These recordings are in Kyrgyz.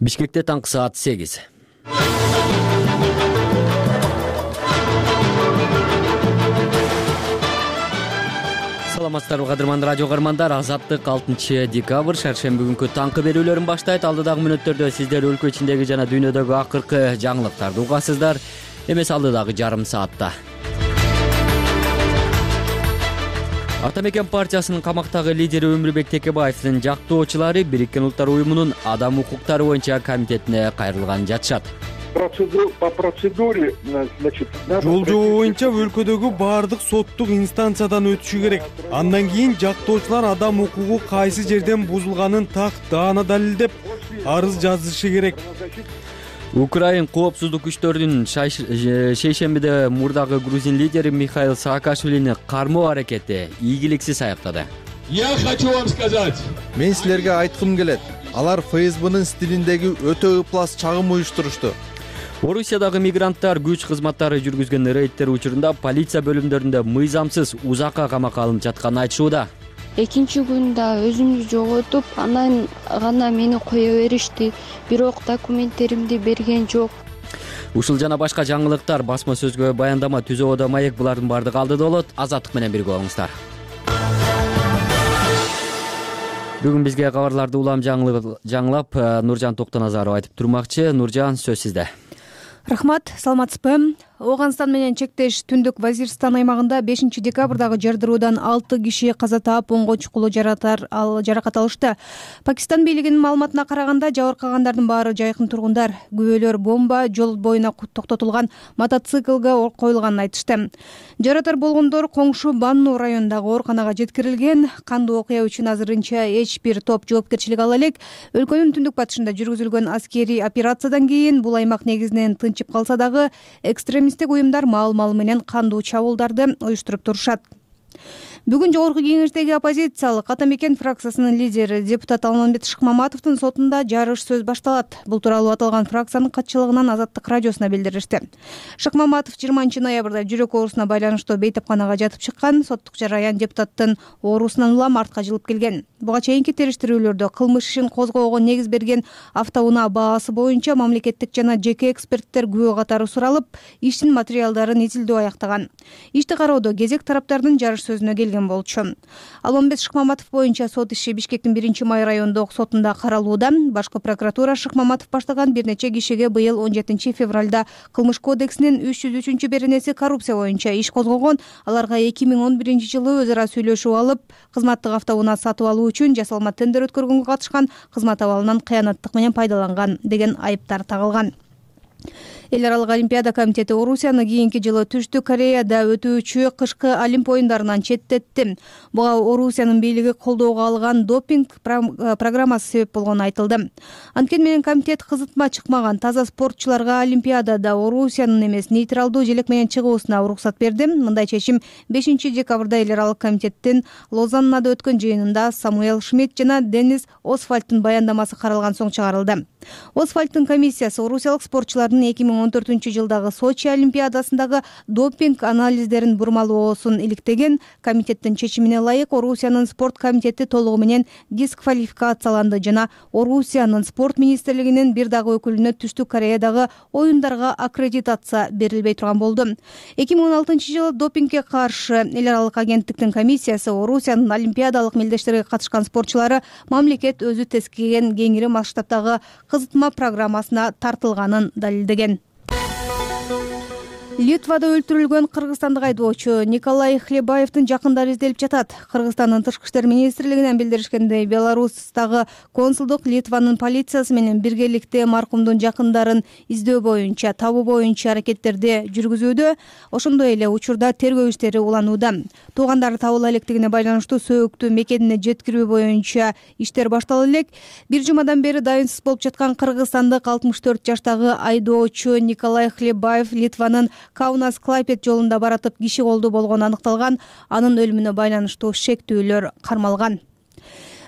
Бишкекте таңкы саат 8. Саламатсыздарбы кадырман радио каармандар, Азаттык 6 декабрь шаршемби күнкү таңкы берүүлөрүн баштайт. Алдыдагы мүнөттөрдө сиздер өлкө ичиндеги жана дүйнөдөгү акыркы жаңылыктарды угасыздар. Эмес алдыдагы жарым саатта. Ата мекен партиясынын камактагы лидери Өмүрбек Текебаевдин жактоочулары Бириккен Улуттар уюмунун адам укуктары боюнча комитетине кайрылган жатышат. По процедуре, значит, жол жобо боюнча өлкөдөгү баардык соттук инстанциядан өтүшү керек. Андан кийин жактоочулар адам укугу кайсы жерден бузулганын так даана далилдеп арыз жазышы керек. Украин коопсуздук күчтөрүнүн шейшембиде мурдагы грузин лидери Михаил Саакашвилини кармоо аракети ийгиликсиз аяктады. Я хочу вам сказать. Мен силерге айткым келет. Алар ФСБнын стилиндеги өтө ыплас чагым уюштурушту. Орусиядагы мигранттар күч кызматтары жүргүзгөн рейдтер учурунда полиция бөлүмдөрүндө мыйзамсыз узакка камакка алынып жатканын айтышууда. Экинчи күндө өзүмдү жоготуп, анан гана мени кое беришти. Бирок документтеримди берген жок. Ушул жана башка жаңылыктар басма сөзгө баяндама Түзөбөдө маек булардын бардыгы алдыда болот. Азаттык менен бирге болуңуздар. Бүгүн бизге кабарларды улам жаңылап Нуржан Токтоназаров айтып турмакчы. Нуржан, сөз сизде. Рахмат, саламатсызбы? Ооганстан менен чектеш Түндүк Вазирстан аймагында 5 декабрдагы жардыруудан 6 киши каза таап, 10 чукулу жаракат алышты. Пакистан бийлигинин маалыматына караганда, жабыркагандардын баары жайкын тургундар. Күбөлөр бомба жол боюна токтотулган мотоциклге коюлганын айтышты. Жаратар болгондор коңшу Банну районундагы ооруканага жеткирилген. Кандуу окуя үчүн азырынча эч бир топ жоопкерчилик ала элек. Өлкөнүн түндүк батышында жүргүзүлгөн аскерий операциядан кийин бул аймак негизинен тынчып калса дагы экстремисттик уюмдар маал менен кандуу чабуулдарды уюштуруп турушат. Бүгүн жогорку кеңештеги оппозициялык Ата мекен фракциясынын лидери депутат Алмамбет Шыкмаматовдун сотунда жарыш сөз башталат. Бул тууралуу аталган фракциянын катчылыгынан Азаттык радиосуна билдиришти. Шыкмаматов 20 ноябрда жүрөк оорусуна байланыштуу бейтапканага жатып чыккан. Соттук жараян депутаттын оорусунан улам артка жылып келген. Буга чейинки териштирүүлөрдө кылмыш ишин козгоого негиз берген автоунаа баасы боюнча мамлекеттик жана жеке эксперттер күбө катары суралып, иштин материалдарын изилдөө аяктаган. Ишти кароодо кезек тараптардын жарыш сөзүнө келген болчу. Алмамбет Шыкмаматов боюнча сот иши Бишкектин 1-май райондук сотунда каралууда. Башкы прокуратура Шыкмаматов баштаган бир нече кишиге быйыл 17 февралда Кылмыш кодексинин 303 беренеси коррупция боюнча иш козгогон. Аларга 2011 жылы өз ара сүйлөшүп алып, кызматтык автоунаа сатып алуу үчүн жасалма тендер өткөргөнгө катышкан, кызмат абалынан кыянаттык менен пайдаланган деген айыптар тагылган. Эл аралык олимпиада комитети Орусияны кийинки жылы Түштүк Кореяда өтүүчү кышкы Олимп оюндарынан четтетти. Буга Орусиянын бийлиги колдоого алган допинг программасы себеп болгону айтылды. Анткени менен комитет кызытма чыкмаган таза спортчуларга олимпиадада Орусиянын эмес нейтралдуу желек менен чыгуусуна уруксат берди. Мындай чечим 5 декабрда эл аралык комитеттин Лозаннада өткөн жыйынында Самуэл Шмидт жана Денис Освальдтын баяндамасы каралган соң чыгарылды. Освальдтын комиссиясы орусиялык спортчулардын 2014 жылдагы Сочи олимпиадасындагы допинг анализдерин бурмалоосун иликтеген. Комитеттин чечимине ылайык Орусиянын спорт комитети толугу менен дисквалификацияланды жана Орусиянын спорт министрлигинин бир дагы өкүлүнө Түштүк Кореядагы оюндарга аккредитация берилбей турган болду. 2016 жылы допингге каршы эл аралык агенттиктин комиссиясы Орусиянын олимпиадалык мелдештерге катышкан спортчулары мамлекет өзү тескеген кеңири масштабтагы кызытма программасына тартылганын далилдеген. Литвада өлтүрүлгөн кыргызстандык айдоочу Николай Хлебаевдин жакындары изделип жатат. Кыргызстандын тышкы иштер министрлигинен билдиришкендей, Беларустагы консулдук Литванын полициясы менен биргеликте маркумдун жакындарын издөө боюнча, табуу боюнча аракеттерди жүргүзүүдө. Ошондой эле учурда тергөө иштери уланууда. Туугандары табыла электигине байланыштуу сөөктү мекенине жеткирүү боюнча иштер башталып элек. Бир жумадан бери дайынсыз болуп жаткан кыргызстандык 64 жаштагы айдоочу Николай Хлебаев Литванын Каунас-Клайпед жолунда баратып киши колдуу болгону аныкталган. Анын өлүмүнө байланыштуу шектүүлөр кармалган.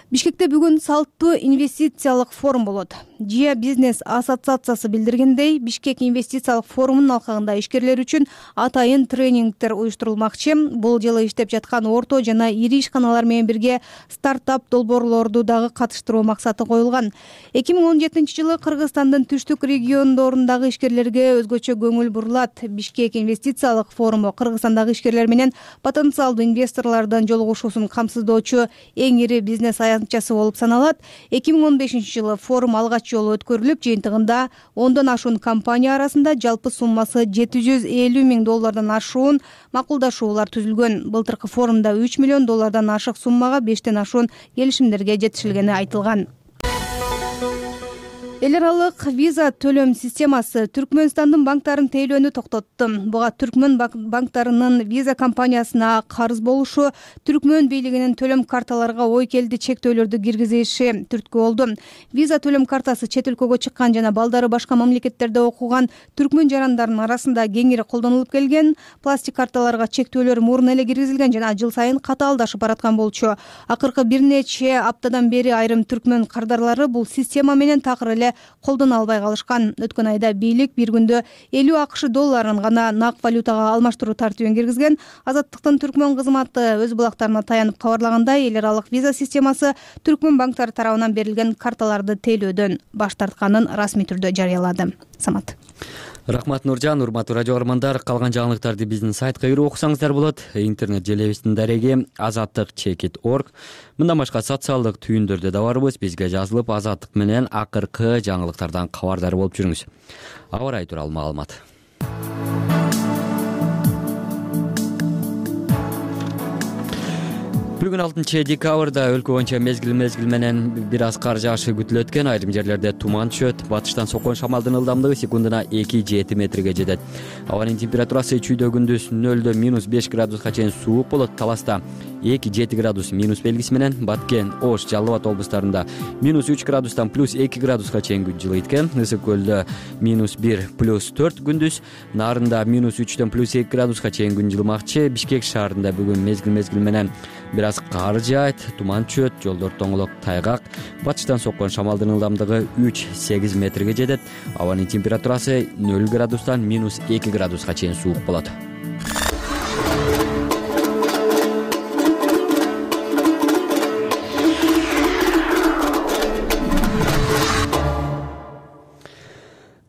Бишкекте бүгүн салттуу инвестициялык форум болот. ЖИА бизнес ассоциациясы билдиргендей, Бишкек инвестициялык форумунун алкагында ишкерлер үчүн атайын тренингдер уюштурулмакчы. Бул жылы иштеп жаткан орто жана ири ишканалар менен бирге стартап долбоорлорду дагы катыштыруу максаты коюлган. 2017 жылы Кыргызстандын түштүк региондорундагы ишкерлерге өзгөчө көңүл бурулат. Бишкек инвестициялык форуму Кыргызстандагы ишкерлер менен потенциалдуу инвесторлордун жолугушуусун камсыздоочу эң ири бизнес аянтчасы болуп саналат. 2015 жылы форум алгач жолу өткөрүлүп, жыйынтыгында 10дон ашуун компания арасында жалпы суммасы $750 миң ашуун макулдашуулар түзүлгөн. Былтыркы форумда $3 миллион ашык суммага 5тен ашуун келишимдерге жетишилгени айтылган. Эл аралык виза төлөм системасы Түркмөнстандын банктарын тейлөөнү токтотту. Буга Түркмөн банктарынын виза компаниясына карыз болушу, Түркмөн бийлигинин төлөм карталарга ой келди чектөөлөрдү киргизиши түрткү болду. Виза төлөм картасы чет өлкөгө чыккан жана балдары башка мамлекеттерде окуган түркмөн жарандарынын арасында кеңири колдонулуп келген. Пластик карталарга чектөөлөр мурун эле киргизилген жана жыл сайын катаалдашып бараткан болчу. Акыркы бир нече аптадан бери айрым түркмөн кардарлары бул система менен такыр эле колдоно албай калышкан. Өткөн айда бийлик бир күндө $50 гана нак валютага алмаштыруу тартибин киргизген. Азаттыктын түркмөн кызматы өз булактарына таянып кабарлагандай, эл аралык виза системасы түркмөн банктары тарабынан берилген карталарды тейлөөдөн баш тартканын расмий түрдө жарыялады. Самат. Рахмат Нуржан, урматтуу радио көрөрмандар, калган жаңылыктарды биздин сайтка кирип окусаңыздар болот. Интернет желебиздин дареги azattik.org. Мындан башка социалдык түйүндөрдө да барбыз. Бизге жазылып, Азаттык менен акыркы жаңылыктардан кабардар болуп жүрүңүз. Аба ырайы тууралуу маалымат. Бүгүн 6-декабрда өлкө боюнча мезгил менен бир аз кар жаашы күтүлөт экен. Айрым жерлерде туман түшөт. Батыштан соккон шамалдын ылдамдыгы секундуна 2-7 метрге жетет. Абанын температурасы чүйдө күндүз 0-дө -5 градуска чейин суук болот. Таласта 2-7 градус минус белгиси менен, Баткен, Ош, Жалал Абад облустарында -3 градустан +2 градуска чейин күн жылыйт экен. Ысык көлдө -1 +4 күндүз, Нарында -3дөн +2 градуска чейин күн жылымакчы. Бишкек шаарында бүгүн мезгил менен бир аз кар жаайт, туман түшөт, жолдор тоңолок, тайгак. Батыштан соккон шамалдын ылдамдыгы 3-8 метрге жетет. Абанын температурасы 0 градустан -2 градуска чейин суук болот.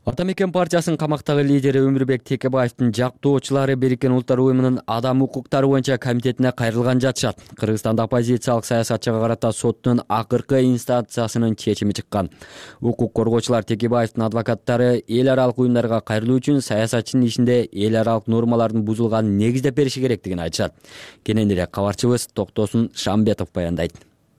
Ата мекен партиясынын камактагы лидери Өмүрбек Текебаевдин жактоочулары Бириккен Улуттар Уюмунун адам укуктары боюнча комитетине кайрылган жатышат. Кыргызстанда оппозициялык саясатчыга карата соттун акыркы инстанциясынын чечими чыккан. Укук коргоочулар Текебаевдин адвокаттары эл аралык уюмдарга кайрылуу үчүн саясатчынын ишинде эл аралык нормалардын бузулганын негиздеп бериши керектигин айтышат. Кененирээк кабарчыбыз Токтосун Шамбетов баяндайт.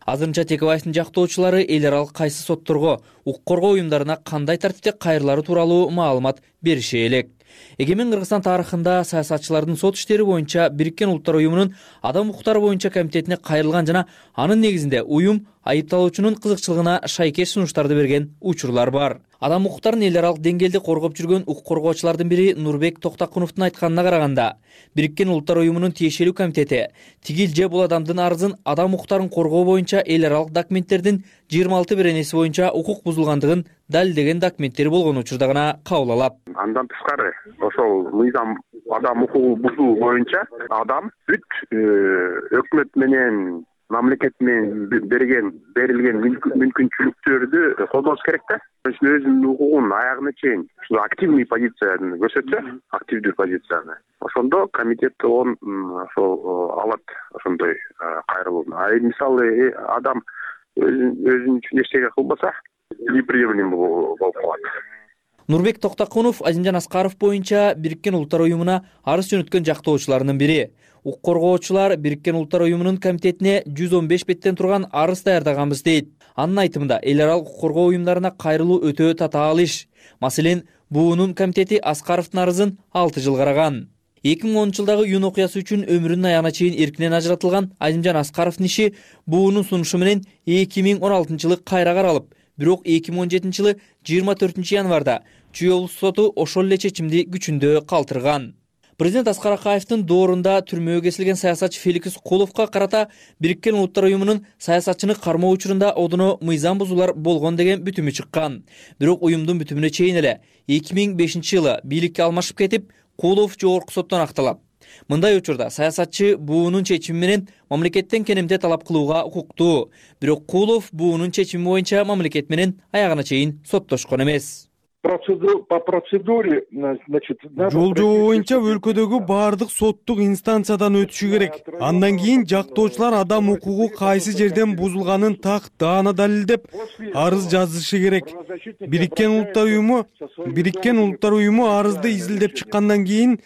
Азырынча Текебаевдин жактоочулары эл аралык кайсы сотторго, укук коргоо уюмдарына кандай тартипте кайрылары тууралуу маалымат бериши элек. Эгемен Кыргызстан тарыхында саясатчылардын сот иштери боюнча Бириккен Улуттар Уюмунун адам укуктары боюнча комитетине кайрылган жана анын негизинде уюм айыпталуучунун кызыкчылыгына шайкеш сунуштарды берген учурлар бар. Адам укуктарын эл аралык деңгээлде коргоп жүргөн укук коргоочулардын бири Нурбек Токтакуновдун айтканына караганда, Бириккен Улуттар Уюмунун тиешелүү комитети тигил же бул адамдын арызын адам укуктарын коргоо боюнча эл аралык документтердин 26 беренеси боюнча укук бузулгандыгын далилдеген документтери болгон учурда гана кабыл алат. Андан тышкары ошол мыйзам адам укугу бузуу боюнча адам бүт өкмөт менен мамлекет менен берилген мүмкүнчүлүктөрдү колдош керек да. Өзүнүн укугун аягына чейин активный позицияны көрсөтсө, активдүү позицияны. Ошондо комитет ошол алат ошондой кайрылууну. Мисалы адам өзүнүн үчүн эчтеке кылбаса, неприемлем болуп калат. Нурбек Токтакунов Азимжан Аскаров боюнча Бириккен Улуттар Уюмуна арыз жөнөткөн жактоочулардын бири. Укук коргоочулар Бириккен Улуттар Уюмунун комитетине 115 беттен турган арыз даярдаганбыз дейт. Анын айтымында эл аралык укук коргоо уюмдарына кайрылуу өтө татаал иш. Маселен, буунун комитети Аскаровдун арызын 6 жыл караган. 2010 жылдагы июнь окуясы үчүн өмүрүнүн аягына чейин эркинен ажыратылган Азимжан Аскаровдун иши буунун сунушу менен 2016 жылы кайра каралып, бирок 2017 жылы 24 январда Чүй облустук соту ошол эле чечимди күчүндө калтырган. Президент Аскар Акаевдин доорунда түрмөгө кесилген саясатчы Феликс Куловго карата Бириккен Улуттар Уюмунун саясатчыны кармоо учурунда одоно мыйзам бузуулар болгон деген бүтүмү чыккан. Бирок уюмдун бүтүмүнө чейин эле 2005-жылы бийликке алмашып кетип, Кулов жогорку соттон акталат. Мындай учурда саясатчы буунун чечими менен мамлекеттен кенемде талап кылууга укуктуу. Бирок Кулов буунун чечими боюнча мамлекет менен аягына чейин соттошкон эмес. По процедуре, значит, жол-жобо боюнча өлкөдөгү баардык соттук инстанциядан өтүшү керек. Андан кийин жактоочулар адам укугу кайсы жерден бузулганын так даана далилдеп арыз жазышы керек. Бириккен Улуттар Уюму арызды изилдеп чыккандан кийин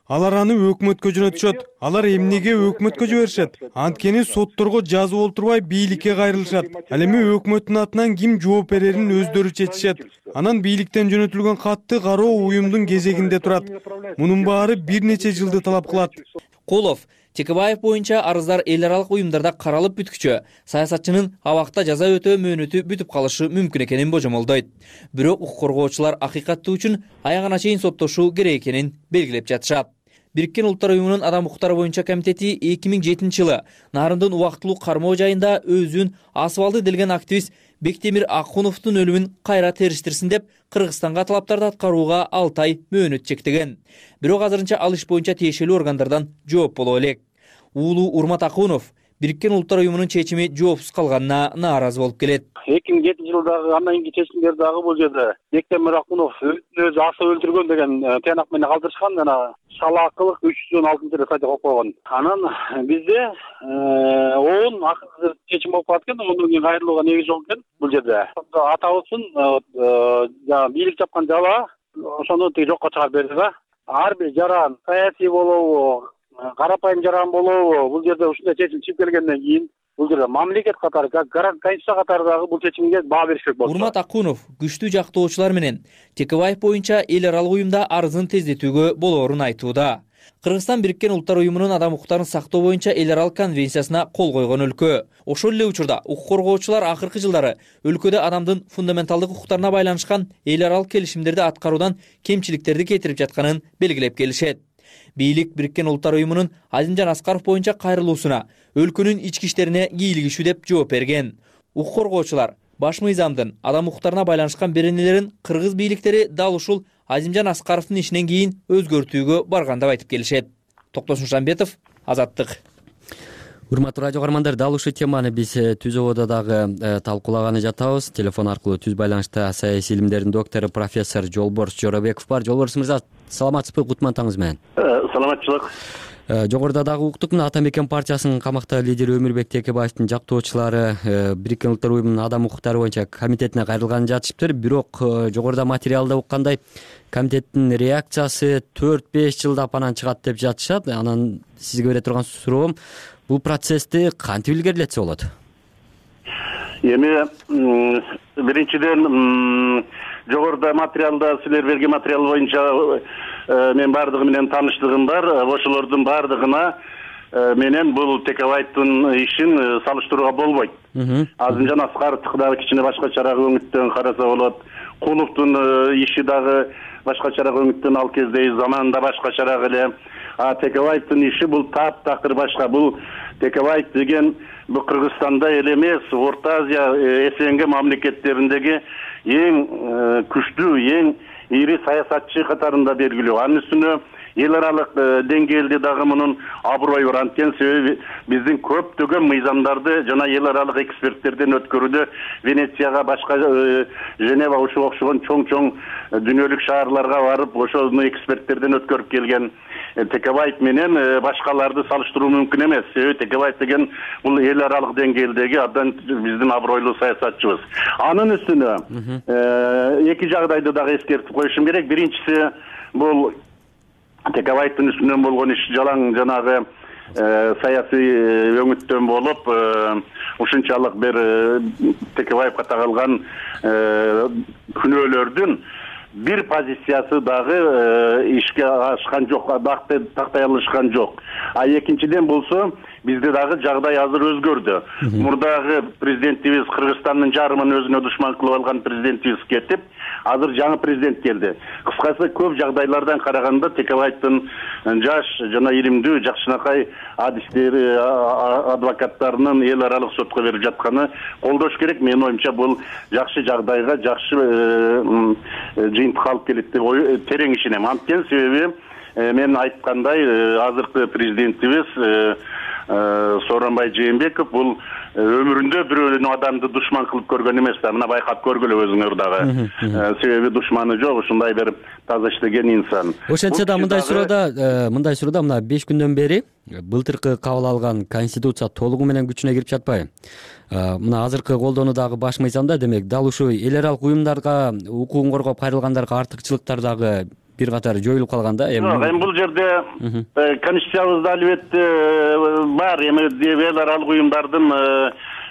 алар аны өкмөткө жөнөтүшөт. Алар эмнеге өкмөткө жиберишет? Анткени сотторго жазып олтурбай бийликке кайрылышат. Ал эми өкмөттүн атынан ким жооп берерин өздөрү чечишет. Анан бийликтен жөнөтүлгөн катты кароо уюмдун кезегинде турат. Мунун баары бир нече жылды талап кылат. Кулов Текебаев боюнча арыздар эл аралык уюмдарда каралып бүткүчө саясатчынын абакта жаза өтөө мөөнөтү бүтүп калышы мүмкүн экенин божомолдойт. Бирок укук коргоочулар акыйкаттуу үчүн аягына чейин соттошуу керек экенин белгилеп жатышат. Бириккен Улуттар Уюмунун адам укуктары боюнча комитети 2007-жылы Нарындын убактылуу кармоо жайында өзүн асып делген активист Бектемир Акуновдун өлүмүн кайра териштирсин деп Кыргызстанга талаптарды аткарууга 6 ай мөөнөт чектеген. Бирок азырынча ал иш боюнча тиешелүү органдардан жооп боло элек. Уулу Урмат Акунов Бириккен Улуттар Уюмунун чечими жоопсуз калганына нааразы болуп келет. 2007-жылдагы андан кийинки чечимдер дагы бул жерде Бектемир Акунов өзү асып өлтүргөн деген тыянак менен калтырышкан, жана шалаакылык 316-рет сайтта коюп койгон. Анан бизде он акыркы чечим болуп калат экен, ондан кийин кайрылууга негиз жок экен бул жерде. Атабыздын бийлик жапкан жала ошону жокко чыгарып берди да. Ар бир жаран саясий болобу, карапайым жаран болобу, бул жерде ушундай чечим чыгып келгенден кийин бул жерде мамлекет катары, конституция катары дагы бул чечимге баа бериш керек болду. Урмат Акунов күчтүү жактоочулар менен Текебаев боюнча эл аралык уюмда арызын тездетүүгө болоорун айтууда. Кыргызстан Бириккен Улуттар Уюмунун адам укуктарын сактоо боюнча эл аралык конвенциясына кол койгон өлкө. Ошол эле учурда укук коргоочулар акыркы жылдары өлкөдө адамдын фундаменталдык укуктарына байланышкан эл аралык келишимдерди аткаруудан кемчиликтерди кетирип жатканын белгилеп келишет. Бийлик Бириккен Улуттар Уюмунун Азимжан Аскаров боюнча кайрылуусуна өлкөнүн ички иштерине кийлигишүү деп жооп берген. Укук коргоочулар баш мыйзамдын адам укуктарына байланышкан беренелерин кыргыз бийликтери дал ушул Азимжан Аскаровдун ишинен кийин өзгөртүүгө барган деп айтып келишет. Токтосун Шамбетов, Азаттык. Урматтуу радио каармандар, дал ушул теманы биз түз ободо дагы талкуулаганы жатабыз. Телефон аркылуу түз байланышта саясий илимдердин доктору профессор Жолборс Жоробеков бар. Жолборс мырза, саламатсызбы? Кутман таңыңыз менен. Саламатчылык. Жогоруда дагы уктук, мына Ата Мекен партиясынын камакта лидери Өмүрбек Текебаевдин жактоочулары Бириккен Улуттар Уюмунун адам укуктары боюнча комитетине кайрылганын жатышыптыр. Бирок жогоруда материалда уккандай комитеттин реакциясы 4-5 жылдап анан чыгат деп жатышат. Анан сизге бере турган суроом, бул процессти кантип илгерилетсе болот? Эми биринчиден жогоруда материалда силер берген материал боюнча мен бардыгы менен тааныштыгым бар. Ошолордун бардыгына менен бул Текебаевдин ишин салыштырууга болбойт. Азимжан Аскаровдуку дагы кичине башкачараак өңүттөн караса болот. Куловдун иши дагы башкачараак өңүттөн ал кезде заманында башкачараак эле. Текебаевдин иши бул таптакыр башка. Бул Текебаев деген бул Кыргызстанда эле эмес, Орто Азия, СНГ мамлекеттериндеги эң күчтүү, эң ири саясатчы катарында белгилүү. Анын үстүнө эл аралык деңгээлде дагы мунун аброю бар. Анткени себеби биздин көптөгөн мыйзамдарды жана эл аралык эксперттерден өткөрүүдө Венецияга, башка Женева ушуга окшогон чоң дүйнөлүк шаарларга барып, ошону эксперттерден өткөрүп келген Текебаев менен башкаларды салыштыруу мүмкүн эмес. Себеби Текебаев деген бул эл аралык деңгээлдеги абдан биздин абройлуу саясатчыбыз. Анын үстүнө эки жагдайды дагы эскертип коюшум керек. Биринчиси бул Текебаевдин үстүнөн болгон иш жалаң жанагы саясий өңүттөн болуп, ушунчалык бир Текебаевга тагылган күнөөлөрдүн бир позициясы дагы ишке ашкан жок, тактай алышкан жок. Экинчиден болсо, бизде дагы жагдай азыр өзгөрдү. Мурдагы президентибиз Кыргызстандын жарымын өзүнө душман кылып алган президентибиз кетип, азыр жаңы президент келди. Кыскасы көп жагдайлардан караганда Текебаевдин жаш жана илимдүү жакшынакай адистери, адвокаттарынын эл аралык сотко берип жатканы колдош керек. Менин оюмча бул жакшы жагдайга, жакшы жыйынтыкка алып келет деп терең ишенем. Анткени себеби мен айткандай азыркы президентибиз Сооронбай Жээнбеков бул өмүрүндө бирөөнү адамды душман кылып көргөн эмес да. Мына байкап көргүлө өзүңөр дагы. Себеби душманы жок, ушундай бир таза иштеген инсан. Ошентсе да мындай суроодо мына 5 күндөн бери былтыркы кабыл алган конституция толугу менен күчүнө кирип жатпайбы? Мына азыркы колдонуу дагы баш мыйзамда, демек дал ушул эл аралык уюмдарга укугун коргоп кайрылгандарга артыкчылыктар дагы бир катар жоюлуп калган да. Эми бул жерде конституциябызда албетте бар, эми эл аралык уюмдардын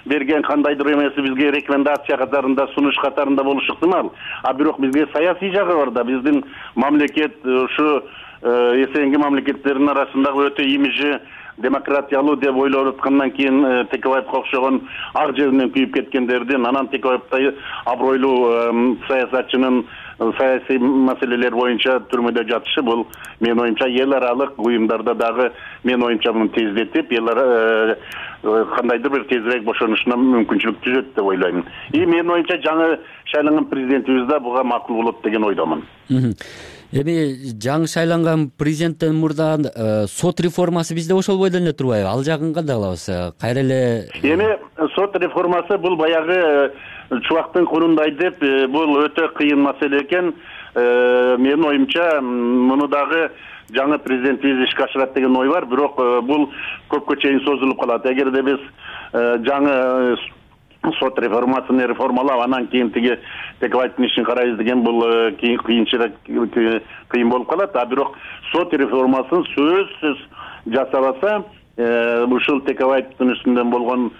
берген кандайдыр эмеси бизге рекомендация катарында, сунуш катарында болушу ыктымал. А бирок бизге саясий жагы бар да. Биздин мамлекет ушу СНГ мамлекеттеринин арасындагы өтө имижи демократиялуу деп ойлоп аткандан кийин Текебаевга окшогон ак жеринен күйүп кеткендердин, анан Текебаевдай абройлуу саясатчынын саясий маселелер боюнча түрмөдө жатышы бул менин оюмча эл аралык уюмдарда дагы менин оюмча муну тездетип, кандайдыр бир тезирээк бошонушуна мүмкүнчүлүк түзөт деп ойлойм. Менин оюмча жаңы шайланган президентибиз да буга макул болот деген ойдомун. Эми жаңы шайланган президенттен мурда сот реформасы бизде ошол бойдон эле турбайбы? Ал жагын кандай кылабыз? Кайра эле эми сот реформасы бул баягы чубактын курундай деп, бул өтө кыйын маселе экен. Менин оюмча муну дагы жаңы президентибиз ишке ашырат деген ой бар, бирок бул көпкө чейин созулуп калат. Эгерде биз жаңы сот реформасын реформалап, анан кийин тиги Текебаевдин ишин карайбыз деген бул кыйын болуп калат. А бирок сот реформасын сөзсүз жасабаса, ушул Текебаевдин үстүндөн болгон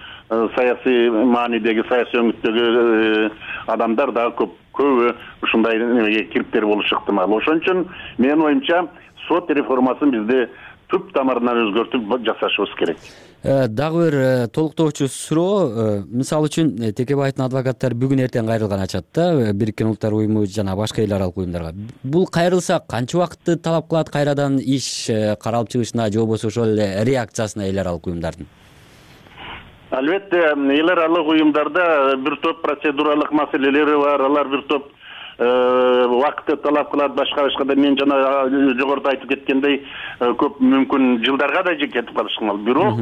саясий маанидеги, саясий өңүттөгү адамдар дагы көбү ушундай немеге кириптер болушу ыктымал. Ошон үчүн менин оюмча сот реформасын бизде түп тамырынан өзгөртүп жасашыбыз керек. Дагы бир толуктоочу суроо, мисалы үчүн Текебаевдин адвокаттары бүгүн эртең кайрылган ачат да, Бириккен Улуттар уюму жана башка эл аралык уюмдарга. Бул кайрылса канча убакытты талап кылат кайрадан иш каралып чыгышына, же болбосо ошол эле реакциясына эл аралык уюмдардын? Албетте, эл аралык уюмдарда бир топ процедуралык маселелери бар, алар бир топ убакытты талап кылат, башка да мен жана жогоруда айтып кеткендей көп мүмкүн жылдарга да кетип калышкан. Бирок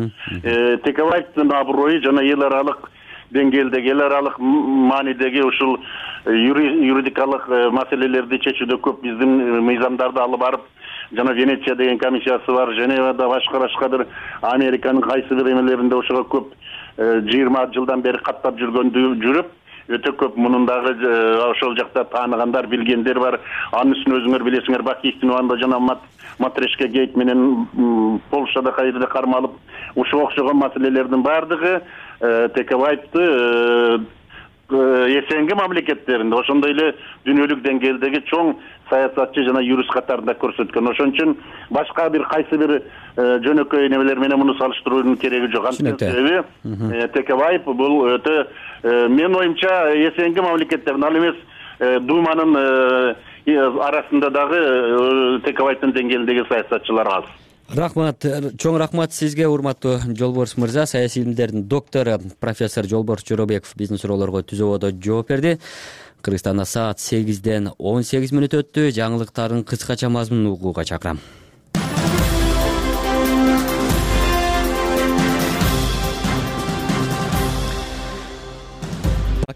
Текебаевдин аброю жана эл аралык деңгээлдеги, эл аралык маанидеги ушул юридикалык маселелерди чечүүдө көп биздин мыйзамдарды алып барып, жана Венеция деген комиссиясы бар, Женевада башка-башкадыр Американын кайсы бир эмелеринде ошого көп 20 жылдан бери каттап жүрүп, өтө көп мунун дагы ошол жакта тааныгандар, билгендер бар. Анын үстүнө өзүңөр билесиңер, Бакиевдин убагында жана Матрешка гейт менен Полшада кайда кармалып, ушуга окшогон маселелердин бардыгы Текебаевди СНГ мамлекеттеринде, ошондой эле дүйнөлүк деңгээлдеги чоң саясатчы жана юрист катарында көрсөткөн. Ошон үчүн башка бир кайсы бир жөнөкөй немелер менен муну салыштыруунун кереги жок. Себеби Текебаев бул өтө менин оюмча СНГ мамлекеттеринин, ал эмес Думанын арасында дагы Текебаевдин деңгээлдеги саясатчылар аз. Рахмат, чоң рахмат сизге, урматтуу Жолборс мырза. Саясий илимдердин доктору профессор Жолборс Жоробеков биздин суроолорго түзүүбөдө жооп берди. Кыргызстанда саат 8-ден 18 мүнөт өттү. Жаңылыктардын кыскача мазмунун угууга чакырам.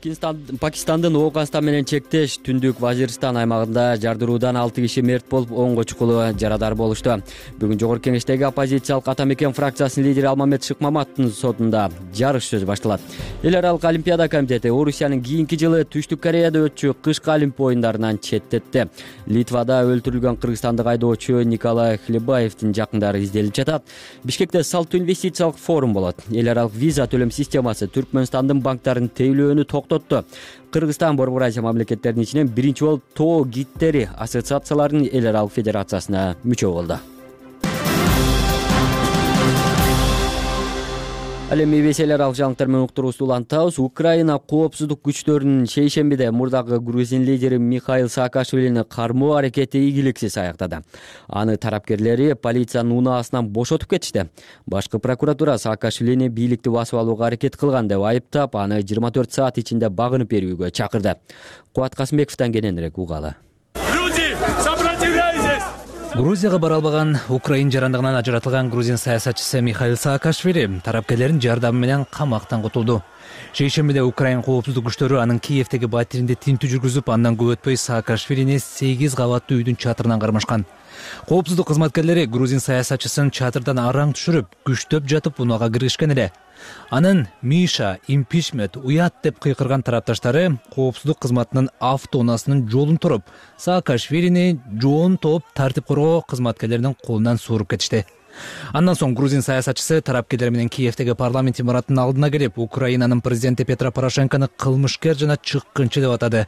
Пакистандын Ооганстан менен чектеш Түндүк Вазирстан аймагында жардыруудан 6 киши мерт болуп, 10 чукулу жарадар болушту. Бүгүн Жогорку Кеңештеги оппозициялык Атамекен фракциясынын лидери Алмамет Шыкмаматовдун сотунда жарыш сөз башталат. Эл аралык Олимпиада комитети Орусиянын кийинки жылы Түштүк Кореяда өтчү кышкы Олимпия оюндарынан четтетти. Литвада өлтүрүлгөн кыргызстандык айдоочу Николай Хлебаевдин жакындары изделип жатат. Бишкекте салттуу инвестициялык форум болот. Эл аралык виза төлөм системасы Түркмөнстандын банктарын тейлөөнү токтотту. Кыргызстан Борбор Азия мамлекеттеринин ичинен биринчи болуп тоо гидтери ассоциацияларынын эл аралык федерациясына мүчө болду. Ал эми эбеселер ал жаңылыктар менен уктуруубузду улантабыз. Украина коопсуздук күчтөрүнүн шейшембиде мурдагы грузин лидери Михаил Саакашвилини кармоо аракети ийгиликсиз аяктады. Аны тарапкерлери полициянын унаасынан бошотуп кетишти. Башкы прокуратура Саакашвилини бийликти басып алууга аракет кылган деп айыптап, аны 24 саат ичинде багынып берүүгө чакырды. Кубат Касымбековдон кененирээк угалы. Грузияга бара албаган Украин жарандыгынан ажыратылган грузин саясатчысы Михаил Саакашвили тарапкерлердин жардамы менен камактан кутулду. Шейшембиде Украин коопсуздук күчтөрү анын Киевдеги батиринде тинтүү жүргүзүп, андан көп өтпөй Саакашвилини 8 кабаттуу үйдүн чатырынан кармашкан. Коопсуздук кызматкерлери грузин саясатчысын чатырдан араң түшүрүп, күчтөп жатып унага киргишкен эле. Анын Миша, импичмент, уят деп кыйкырган тарапташтары коопсуздук кызматынын автоунаасынын жолун туруп, Саакашвилини жоон топ тартип коргоо кызматкерлеринин колунан сууруп кетишти. Андан соң грузин саясатчысы тарапкерлер менен Киевдеги парламент имараттын алдына келип, Украинанын президенти Петро Порошенкону кылмышкер жана чыккынчы деп атады.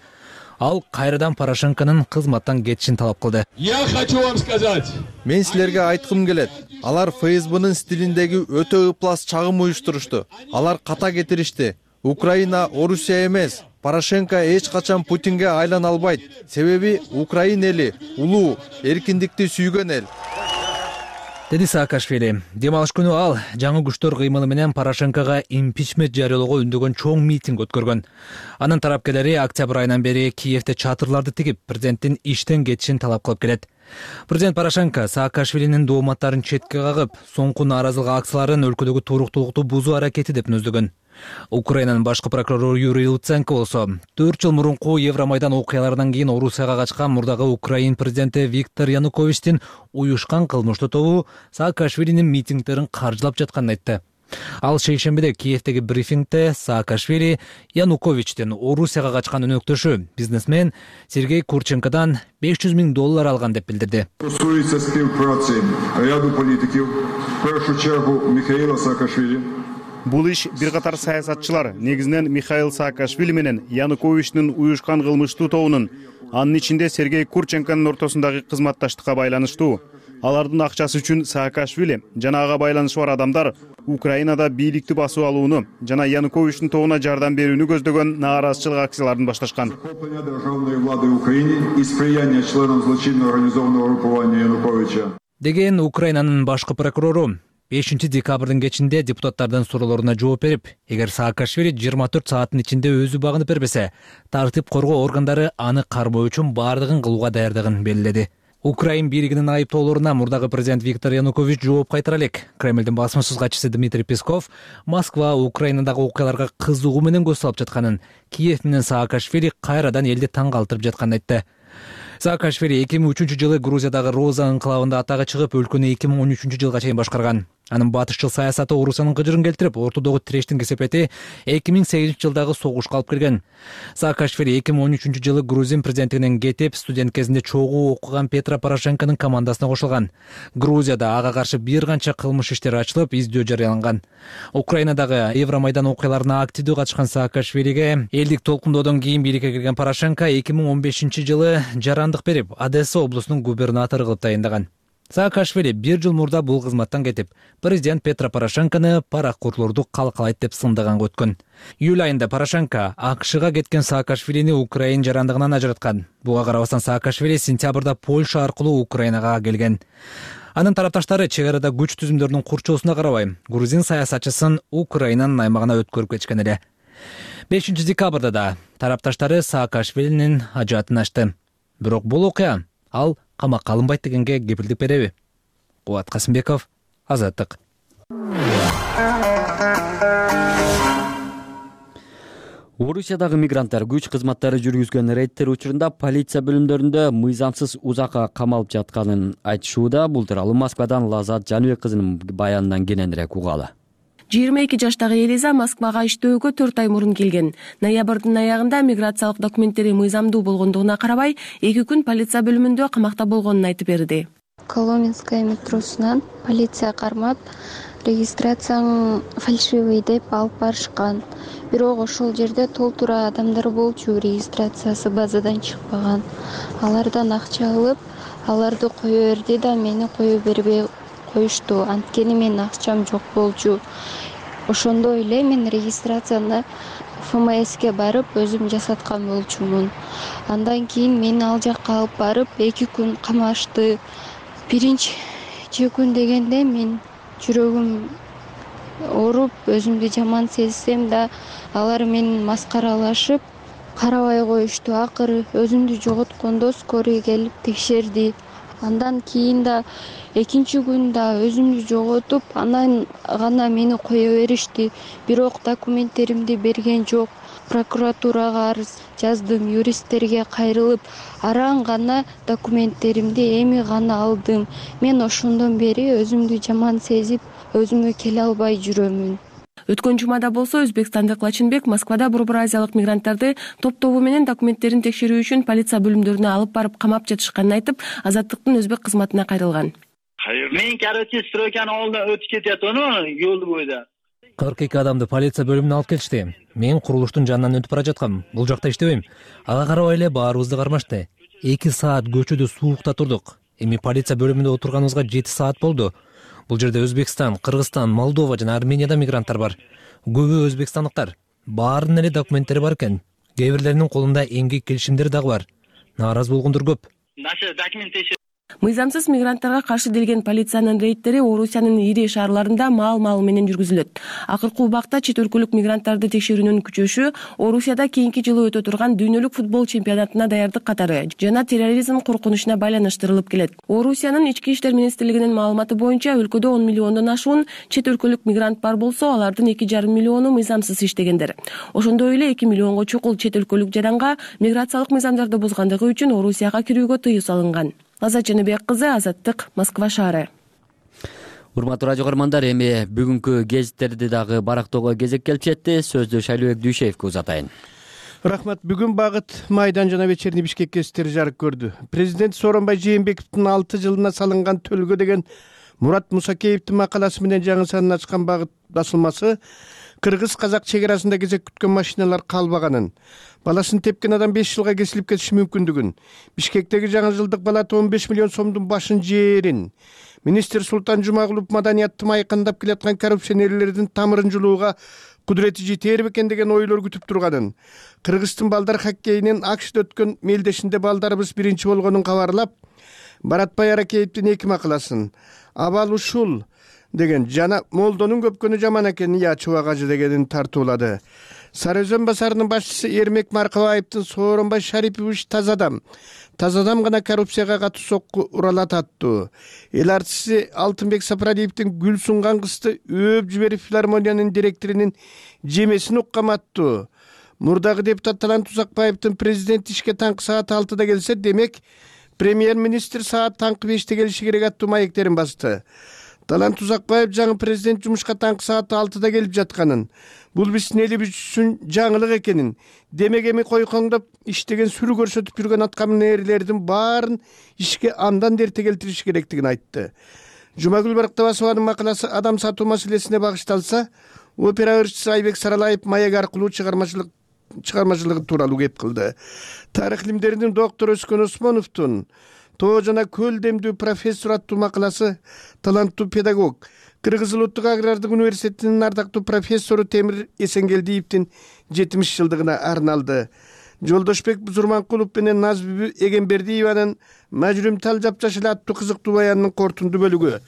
Ал кайрадан Порошенконун кызматтан кетишин талап кылды. Я хочу вам сказать. Мен силерге айткым келет. Алар ФСБнын стилиндеги өтө ыплас чагым уюштурушту. Алар ката кетиришти. Украина Орусия эмес. Порошенко эч качан Путинге айлана албайт. Себеби Украин эли улуу, эркиндикти сүйгөн эл. Деди Саакашвили. Дем алыш күнү ал жаңы күчтөр кыймылы менен Порошенкого импичмент жарыялоого үндөгөн чоң митинг өткөргөн. Анын тарапкерлери октябрь айынан бери Киевде чатырларды тигип, президенттин иштен кетишин талап кылып келет. Президент Порошенко Саакашвилинин дооматтарын четке кагып, соңку нааразылык акцияларын өлкөдөгү туруктуулукту бузуу аракети деп нөздөгөн. Украинанын башкы прокурору Юрий Луценко болсо 4 жыл мурунку Евромайдан окуяларынан кийин Орусияга качкан мурдагы Украин президенти Виктор Януковичтин уюшкан кылмыштуу тобу Саакашвилинин митингдерин каржылап жатканын айтты. Ал шейшембиде Киевдеги брифингде Саакашвили Януковичтин Орусияга качкан өнөктөшү бизнесмен Сергей Курченкодан $500,000 алган деп билдирди. Стосується співпраці ряду політиків, в першу чергу Михаила Саакашвили. Бул иш бир катар саясатчылар, негизинен Михаил Саакашвили менен Януковичтин уюшкан кылмыштуу тобунун, анын ичинде Сергей Курченконун ортосундагы кызматташтыкка байланыштуу. Алардын акчасы үчүн Саакашвили жана ага байланышы бар адамдар Украинада бийликти басып алууну жана Януковичтин тобуна жардам берүүнү көздөгөн нааразычылык акцияларын башташкан. Захоплення державної влади в Україні і сприяння членам злочинно організованого групування Януковича. Деген Украинанын башкы прокурору 5 декабрдын кечинде депутаттардын суроолоруна жооп берип, эгер Саакашвили 24 сааттын ичинде өзү багынып бербесе, тартип коргоо органдары аны кармоо үчүн баардыгын кылууга даярдыгын белгиледи. Украин бийлигинин айыптоолоруна мурдагы президент Виктор Янукович жооп кайтара элек. Кремлдин басмасыз катчысы Дмитрий Песков Москва Украинадагы окуяларга кызыгуу менен көз салып жатканын, Киев менен Саакашвили кайрадан элди таң калтырып жатканын айтты. Саакашвили 2003 жылы Грузиядагы Роза анклавында атага чыгып, өлкөнү 2013 жылга чейин башкарган. Анын батышчыл саясаты Орусиянын кыжырын келтирип, ортодогу тирештин кесепети 2008 жылдагы согушка алып келген. Саакашвили 2013 жылы Грузин президенттигинен кетип, студент кезинде чогуу окуган Петро Порошенконун командасына кошулган. Грузияда ага каршы бир канча кылмыш иштери ачылып, издөө жарыяланган. Украинадагы Евромайдан окуяларына активдүү катышкан Саакашвилиге элдик толкундоодон кийин бийликке кирген Порошенко 2015 жылы жарандык берип, Одесса облусунун губернатору кылып тайындаган. Саакашвили 1 жыл мурда бул кызматтан кетип, президент Петро Порошенкону паракурлорду калкалайт деп сындаганга өткөн. Июль айында Порошенко АКШга кеткен Саакашвилини Украин жарандыгынан ажыраткан. Буга карабастан Саакашвили сентябрда Польша аркылуу Украинага келген. Анын тарапташтары чек арада күч түзүмдөрүнүн курчоосуна карабай, грузин саясатчысын Украинанын аймагына өткөрүп кетишкен эле. 5 декабрда да тарапташтары Саакашвилинин ажатын ачты. Бирок бул окуя ал камакка алынбайт дегенге кепилдик береби? Кубат Касымбеков, Азаттык. Орусиядагы мигранттар күч кызматтары жүргүзгөн рейдтер учурунда полиция бөлүмдөрүндө мыйзамсыз узакка камалып жатканын айтышууда. Бул тууралуу Москвадан Лазат Жаныбек кызынын баянынан кененирээк угалы. 22 жаштагы Элиза Москвага иштөөгө 4 ай мурун келген. Ноябрдын аягында миграциялык документтери мыйзамдуу болгондугуна карабай, 2 күн полиция бөлүмүндө камакта болгонун айтып берди. Коломенская метросунан полиция кармап, регистрацияң фальшивый деп алып барышкан. Бирок ошол жерде толтура адамдар болчу, регистрациясы базадан чыкпаган. Алардан акча алып, аларды кое берди да мени кое бербей коюшту. Анткени менин акчам жок болчу. ошондой эле мен регистрацияны ФМСке барып өзүм жасаткан болчумун. Андан кийин мени ал жакка алып барып 2 күн камашты. Биринчи күн дегенде мен жүрөгүм ооруп, өзүмдү жаман сезсем да, алар менен маскаралашып, карабай коюшту. Акыры өзүмдү жоготкондо скорый келип текшерди. Андан кийин да 2 күн да өзүмдү жоготуп, анан гана мени кое беришти. Бирок документтеримди берген жок. Прокуратурага арыз жаздым, юристтерге кайрылып, аран гана документтеримди эми гана алдым. Мен ошондон бери өзүмдү жаман сезип, өзүмө келе албай жүрөмүн. Өткөн жумада болсо өзбекстандык Лачынбек Москвада Борбор Азиялык мигранттарды топ-тобу менен документтерин текшерүү үчүн полиция бөлүмдөрүнө алып барып камап жатышканын айтып, Азаттыктын өзбек кызматына кайрылган. Мен, стройканын алдынан өтүп кетип жолду бойда. 42 адамды полиция бөлүмүнө алып келишти. Мен курулуштун жанынан өтүп бара жаткам. Бул жакта иштебейм. Ага карабай эле баарыбызды кармашты. 2 саат көчөдө суукта турдук. Эми полиция бөлүмүндө отурганыбызга 7 саат болду. Бул жерде Өзбекстан, Кыргызстан, Молдова жана Армениядан мигранттар бар. Көбү өзбекстандыктар. Баарынын эле документтери бар экен. Кээ бирлеринин колунда эмгек келишимдери дагы бар. Нааразы болгондор көп. Мыйзамсыз мигранттарга каршы делген полициянын рейдтери Орусиянын ири шаарларында маал менен жүргүзүлөт. Акыркы убакта чет өлкөлүк мигранттарды текшерүүнүн күчөшү Орусияда кийинки жылы өтө турган дүйнөлүк футбол чемпионатына даярдык катары жана терроризм коркунучуна байланыштырылып келет. Орусиянын ички иштер министрлигинин маалыматы боюнча өлкөдө 10 миллиондон ашуун чет өлкөлүк мигрант бар болсо, алардын 2,5 миллиону мыйзамсыз иштегендер. Ошондой эле 2 миллионго чукул чет өлкөлүк жаранга миграциялык мыйзамдарды бузгандыгы үчүн Орусияга кирүүгө тыюу салынган. Азат Жаныбек кызы, Азаттык, Москва шаары. Урматтуу радио көрөрмандар, эми бүгүнкү гезиттерди дагы барактоого кезек келип жетти. Сөздү Шайлыбек Дүйшеевке узатайын. Рахмат. Бүгүн Багыт, Майдан жана Вечерний Бишкек гезиттери жарык көрдү. Президент Сооронбай Жээнбековдун 6 жылына салынган төлгө деген Мурат Мусакеевдин макаласы менен жаңы санын ачкан Багыт басылмасы кыргыз-казак чек арасында кезек күткөн машиналар калбаганын, баласын тепкен адам 5 жылга кесилип кетиши мүмкүндүгүн, Бишкектеги жаңы жылдык балата 15 миллион сомдун башын жээрин, министр Султан Жумагулов маданияттын майкандап келаткан коррупционерлердин тамырын жулууга кудурети жетер бекен деген ойлор күтүп турганын, Кыргыздын балдар хоккейинен АКШда өткөн мелдешинде балдарыбыз биринчи болгонун кабарлап, Баратбай Аракеевдин 2 макаласын «Абал ушул» деген жана молдонун көпкөнү жаман экенин я чубагажы дегенин тартуулады. Сары Өзөн базарынын башчысы Эрмек Маркабаевдин Сооронбай Шарипович таза адам гана коррупцияга катуу сокку уралат аттуу. Эл артисти Алтынбек Сапаралиевдин гүл сунган кызды өөп жиберип филармониянын директорунун жемесин уккам аттуу. Мурдагы депутат Талант Узакбаевдин президент ишке таңкы саат 6-да келсе, демек премьер-министр саат таңкы 5-те келиши керек аттуу маектерин басты. Талант Узакбаев жаңы президент жумушка таңкы саат 6-да келип жатканын, бул биздин элибиз үчүн жаңылык экенин, демек эми койкоңдоп иштеген сүрү көрсөтүп жүргөн аткаминерлердин баарын ишке андан эрте келтириш керектигин айтты. Жумагүл Барктабасованын макаласы адам сатуу маселесине багышталса, опера ырчысы Айбек Саралаев маек аркылуу чыгармачылыгы тууралуу кеп кылды. Тарых илимдеринин доктору Өскөн Осмоновдун Тоо жана көл демдүү профессор аттуу макаласы таланттуу педагог, Кыргыз Улуттук агрардык университетинин ардактуу профессору Темир Эсенгелдиевдин 70 жылдыгына арналды. Жолдошбек Зурманкулов менен Назбүбү Эгембердиеванын Мажрүм тал жапжаш эле аттуу кызыктуу баянынын кортундуу бөлүгү,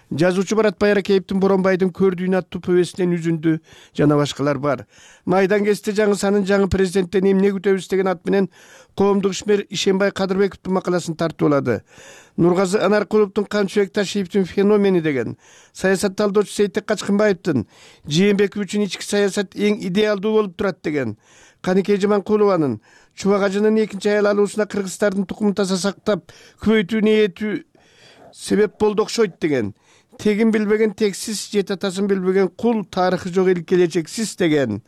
жазуучу Баратбай Аракеевдин Боронбайдын көрдүйүн аттуу повестинен үзүндү жана башкалар бар. Майдан гезити жаңы санын жаңы президенттен эмне күтөбүз деген ат менен коомдук ишмер Ишенбай Кадырбековдун макаласын тартуулады. Нургазы Анаркуловдун Камчыбек Ташиевдин феномени деген, саясат талдоочу Сейтек Качкынбаевдин Жээнбеков үчүн ички саясат эң идеалдуу болуп турат деген, Каникей Жаманкулованын Чубагажынын 2 аял алуусуна кыргыздардын тукумун таза сактап көбөйтүү ниети себеп болду окшойт деген, тегин билбеген тексиз, жет атасын билбеген кул, тарыхы жок эл келечексиз деген,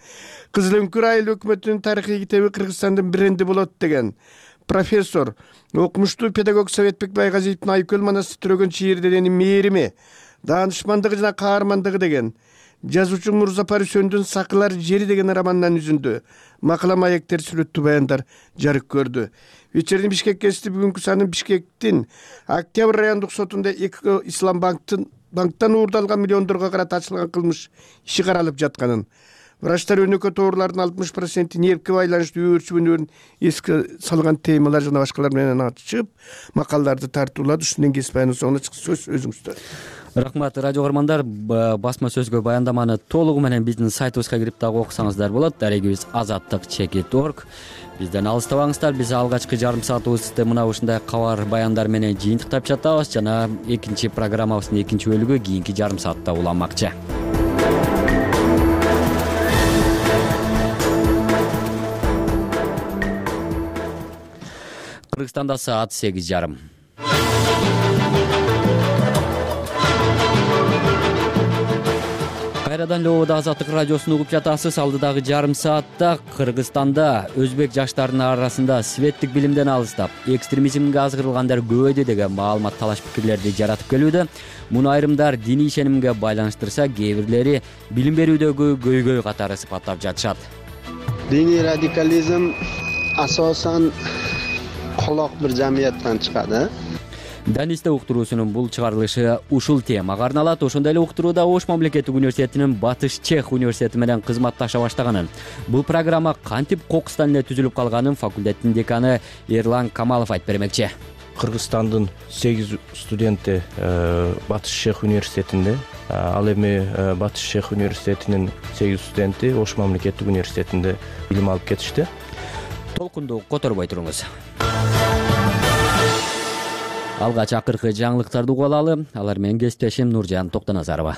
Кызыл өңкүр айыл өкмөтүнүн тарыхый китеби Кыргызстандын бренди болот деген, профессор, окумуштуу педагог Советбек Байгазиевдин Айкөл манасты түрөгөн чийирденин мээрими, даанышмандыгы жана каармандыгы деген, жазуучу Мурзапар Үсөндүн Сакылар жери деген романынан үзүндү макала маектер, сүрөттүү баяндар жарык көрдү. Вечерний Бишкек гезити бүгүнкү санын Бишкектин Октябрь райондук сотунда Эко Ислам банктын банктан уурдалган миллиондорго карата ачылган кылмыш иши каралып жатканын, врачтар өнөкөт оорулардын 60% нервке байланыштуу өөрчүгүүнүн эске салган темалар жана башкалар менен ачып макалаларды тартуулады. Ушундан кесип анын соңуна сөз өзүңүздө. Рахмат, радио көрөрмандар. Басма сөзгө баяндаманы толугу менен биздин сайтыбызга кирип дагы окусаңыздар болот. Дарегибиз azattik.org. Бизден алыстабаңыздар. Биз алгачкы жарым саатыбызды мына ушундай кабар баяндар менен жыйынтыктап жатабыз жана экинчи программабыздын экинчи бөлүгү кийинки жарым саатта уланмакчы. Кыргызстанда саат 8:30. Кайрадан Лобода Азаттык радиосун угуп жатасыз. Алдыдагы жарым саатта Кыргызстанда өзбек жаштарынын арасында светтик билимден алыстап, экстремизмге азгырылгандар көбөйдү деген маалымат талаш пикирлерди жаратып келүүдө. Муну айрымдар диний ишенимге байланыштырса, кээ бирлери билим берүүдөгү көйгөй катары сыпаттап жатышат. Диний радикализм асосан колок бир жамияттан чыгат. Данисте уктуруусунун бул чыгарылышы ушул темага арналат. Ошондой эле уктурууда Ош мамлекеттик университетинин Батыш Чех университети менен кызматташа баштаганын, бул программа кантип кокустан эле түзүлүп калганын факультеттин деканы Эрлан Камалов айтып бермекчи. Кыргызстандын 8 студенти Батыш Чех университетинде, ал эми Батыш Чех университетинин 8 студенти Ош мамлекеттик университетинде билим алып кетишти. Толкунду которбой туруңуз. Алгач акыркы жаңылыктарды угуп алалы. Алар менен кесиптешим Нуржан Токтоназарова.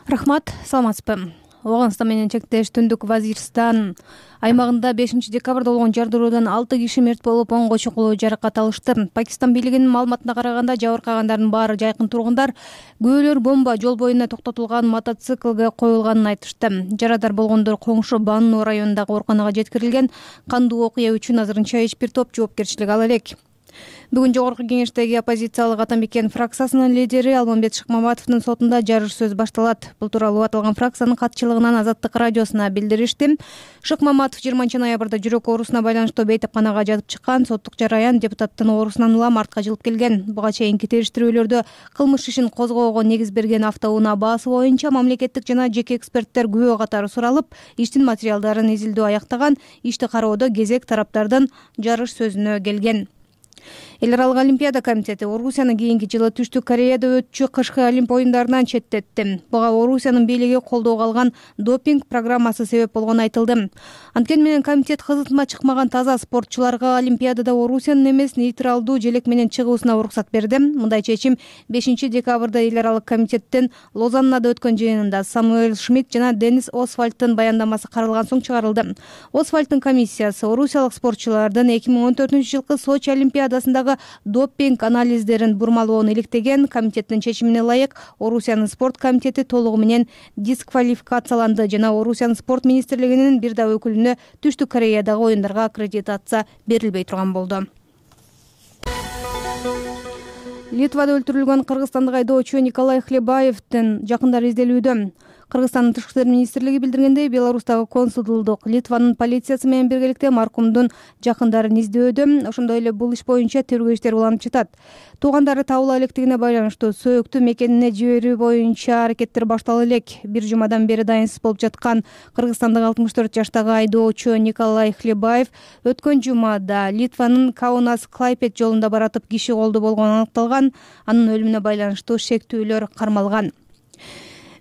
Рахмат, саламатсызбы. Оганстан менен чектеш Түндүк Вазирстан аймагында 5 декабрда болгон жардыруудан 6 киши мерт болуп, 10 чукулуу жаракат алышты. Пакистан бийлигинин маалыматына караганда, жабыркагандардын баары жайкын тургундар, көөлөр бомба жол боюна токтотулган мотоциклге коюлганын айтышты. Жарадар болгондор коңшу Банну районундагы ооруканага жеткирилген. Кандуу окуя үчүн азырынча эч бир топ жоопкерчилик ала элек. Бүгүн жогорку кеңештеги оппозициялык Атамбекен фракциясынын лидери Алмамбет Шыкмаматовдун сотунда жарыш сөз башталат. Бул тууралуу аталган фракциянын катчылыгынан Азаттык радиосуна билдиришти. Шыкмаматов 20-ноябрда жүрөк оорусуна байланыштуу бейтапканага жатып чыккан. Соттук жараян депутаттын оорусунан улам артка жылып келген. Буга чейинки териштирүүлөрдө кылмыш ишин козгоого негиз берген автоунаа баасы боюнча мамлекеттик жана жеке эксперттер күбө катары суралып, иштин материалдарын изилдөө аяктаган. Ишти кароодо кезек тараптардын жарыш сөзүнө келген. Эл аралык Олимпиада комитети Орусияны кийинки жылы Түштүк Кореяда өтчү кышкы Олимп оюндарынан четтетти. Буга Орусиянын бийлиги колдоого алган допинг программасы себеп болгону айтылды. Анткени менен комитет кызытма чыкмаган таза спортчуларга Олимпиадада Орусиянын эмес нейтралдуу желек менен чыгуусуна уруксат берди. Мындай чечим 5 декабрда эл аралык комитеттин Лозаннада өткөн жыйынында Самуэль Шмидт жана Денис Освальдтын баяндамасы каралган соң чыгарылды. Освальдтын комиссиясы орусиялык спортчулардын 2014-жылкы Сочи Олимпиадасындагы допинг анализдерин бурмалоону иликтеген. Комитеттин чечимине ылайык Орусиянын спорт комитети толугу менен дисквалификацияланды жана Орусиянын спорт министрлигинин бир да өкүлүнө Түштүк Кореядагы оюндарга аккредитация берилбей турган болду. Литвада өлтүрүлгөн кыргызстандык айдоочу Николай Хлебаевдин жакындары изделүүдө. Кыргызстандын тышкы иштер министрлиги билдиргендей, Беларустагы консулдук Литванын полициясы менен биргеликте маркумдун жакындарын издөдө. Ошондой эле бул иш боюнча тергөө иштери уланып жатат. Туугандары табыла электигине байланыштуу сөөктү мекенине жиберүү боюнча аракеттер башталып элек. Бир жумадан бери дайынсыз болуп жаткан кыргызстандык 64 жаштагы айдоочу Николай Хлебаев өткөн жумада Литванын Каунас-Клайпед жолунда баратып киши колду болгону аныкталган. Анын өлүмүнө байланыштуу шектүүлөр кармалган.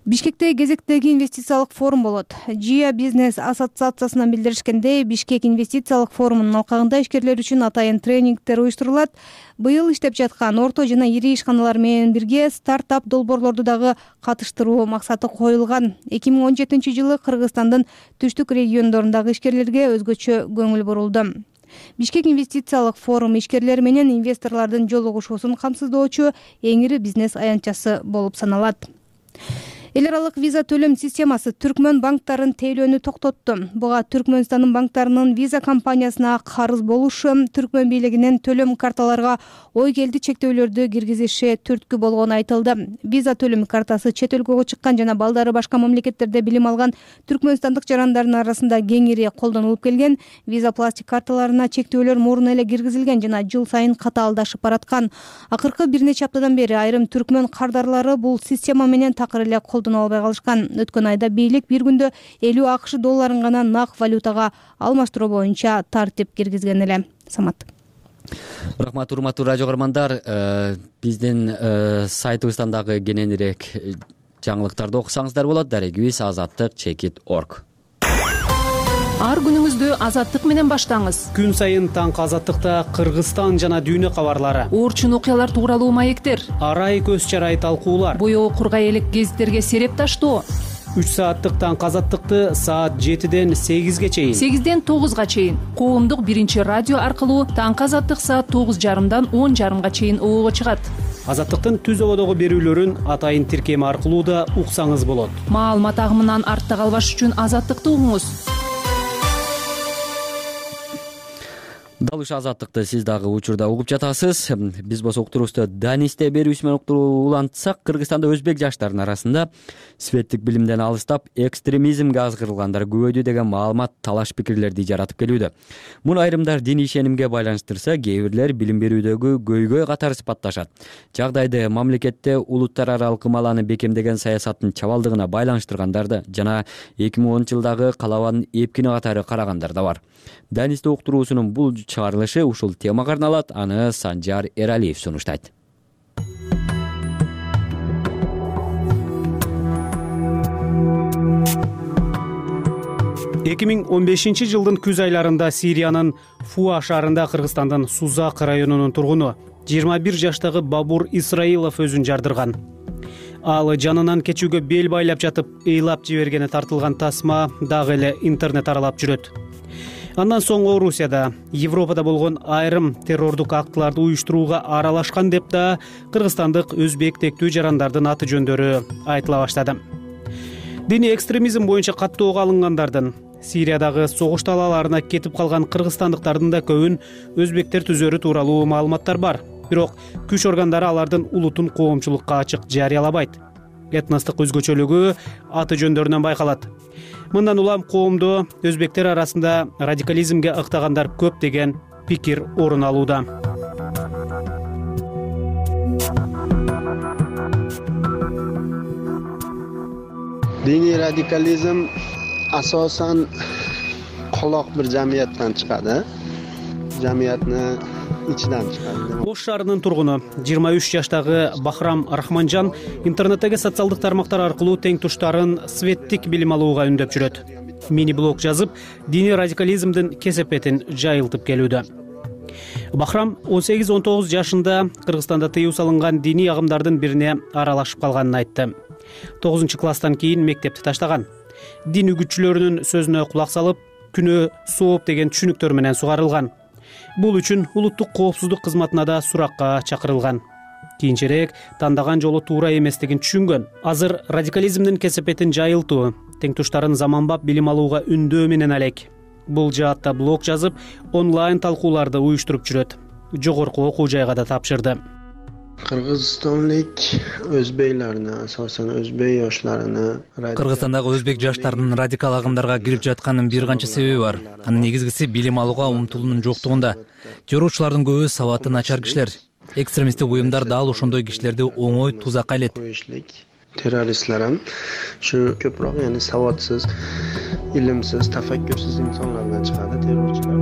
Бишкекте кезектеги инвестициялык форум болот. Жия бизнес ассоциациясынан билдиришкендей, Бишкек инвестициялык форумунун алкагында ишкерлер үчүн атайын тренингдер уюштурулат. Быйыл иштеп жаткан орто жана ири ишканалар менен бирге стартап долбоорлорду дагы катыштыруу максаты коюлган. 2017-жылы Кыргызстандын түштүк региондорундагы ишкерлерге өзгөчө көңүл бурулду. Бишкек инвестициялык форум ишкерлер менен инвесторлордун жолугушуусун камсыздоочу эң ири бизнес аянтчасы болуп саналат. Эл аралык виза төлөм системасы түркмөн банктарын тейлөөнү токтотту. Буга Түркмөнстандын банктарынын виза компаниясына карыз болушу, түркмөн бийлигинин төлөм карталарга ой келди чектөөлөрдү киргизиши түрткү болгону айтылды. Виза төлөм картасы чет өлкөгө чыккан жана балдары башка мамлекеттерде билим алган түркмөнстандык жарандардын арасында кеңири колдонулуп келген. Виза пластик карталарына чектөөлөр мурун эле киргизилген жана жыл сайын катаалдашып бараткан. Акыркы бир нече аптадан бери айрым түркмөн кардарлары бул система менен такыр эле колдоно албай калышкан. Өткөн айда бийлик бир күндө 50 АКШ долларын гана нак валютага алмаштыруу боюнча тартип киргизген эле. Самат. Рахмат, урматтуу радио көрөрмандар. Биздин сайтыбыздан дагы кененирээк жаңылыктарды окусаңыздар болот. Дарегибиз azattik.org. Ар күнүңүздү Азаттык менен баштаңыз. Күн сайын таңкы Азаттыкта Кыргызстан жана дүйнө кабарлары, орчун окуялар тууралуу маектер, арай көз чарай талкуулар, боёо кургай элек гезиттерге сереп таштоо. 3 сааттык таңкы Азаттыкты саат 7ден 8ге чейин, 8ден 9га чейин коомдук биринчи радио аркылуу таңкы Азаттык саат 9:30дан 10:30га чейин обого чыгат. Азаттыктын түз ободогу берүүлөрүн атайын тиркеми аркылуу да уксаңыз болот. Маалымат агымынан артта калбаш үчүн Азаттыкты угуңуз. Дал ушул Азаттыкты сиз дагы учурда угуп жатасыз. Биз болсо уктуруубузду Данисте берүүсү менен улантсак, Кыргызстанда өзбек жаштарынын арасында светтик билимден алыстап, экстремизмге азгырылгандар көбөйдү деген маалымат, талаш пикирлерди жаратып келүүдө. Муну айрымдар диний ишенимге байланыштырса, кээ бирлер билим берүүдөгү көйгөй катары сыпатташат. Жагдайды мамлекетте улуттар аралык ымаланы бекемдеген саясаттын чабалдыгына байланыштыргандарды жана 2010-жылдагы калабанын эпкини катары карагандар да бар. Данисте уктуруусунун бул чыгарылышы ушул темага арналат. Аны Санжар Эралиев сунуштайт. 2015-жылдын күз айларында Сириянын Фуа шаарында Кыргызстандын Сузак районунун тургуну 21 жаштагы Бабур Исраилов өзүн жардырган. Ал жанынан кечүүгө бел байлап жатып, ыйлап жибергени тартылган тасма дагы эле интернет аралап жүрөт. Андан соң Орусияда, Европада болгон айрым террордук актыларды уюштурууга аралашкан деп да кыргызстандык өзбек тектүү жарандардын аты жөндөрү айтыла баштады. Диний экстремизм боюнча каттоого алынгандардын, Сириядагы согуш талааларына кетип калган кыргызстандыктардын да көбүн өзбектер түзөрү тууралуу маалыматтар бар. Бирок күч органдары алардын улутун коомчулукка ачык жарыялабайт. Этностук өзгөчөлүгү аты жөндөрүнөн байкалат. Мындан улам коомдо өзбектер арасында радикализмге ыктагандар көп деген пикир орун алууда. Diniy radikalizm asosan qoloq bir jamiyatdan chiqadi. Jamiyatni ichidan chiqadi. Ош шаарынын тургуну 23 жаштагы Бахрам Рахманжан интернеттеги социалдык тармактар аркылуу тең туштарын светтик билим алууга үндөп жүрөт. Мини-блог жазып, диний радикализмдин кесепетин жайылтып келүүдө. Бахрам 18-19 жашында Кыргызстанда тыюу салынган диний агымдардын бирине аралашып калганын айтты. 9-класстан кийин мектепти таштаган. Дин үгүтчүлөрүнүн сөзүнө кулак салып, күнөө сооп деген түшүнүктөр менен сугарылган. Бул үчүн улуттук коопсуздук кызматына да суракка чакырылган. Кийинчерээк тандаган жолу туура эместигин түшүнгөн. Азыр радикализмдин кесепетин жайылтуу, тең туштарын заманбап билим алууга үндөө менен алек. Бул жаатта блог жазып, онлайн талкууларды уюштуруп жүрөт. Жогорку окуу жайга да тапшырды. Кыргызстандык өзбейлерни, асосан өзбек yoshlarını Кыргызстандагы өзбек жаштарынын радикал агымдарга кирип жатканынын бир канча себеби бар. Анын негизгиси билим алууга умтулуунун жоктугунда. Жоруучулардын көбү сабаты начар кишилер. Экстремисттик уюмдар дал ошондой кишилерди оңой тузакка илет. Teröristler ham shu ko'proq, ya'ni savodsiz, ilimsiz, tafakkursiz insonlardan chiqadi terrorchilar.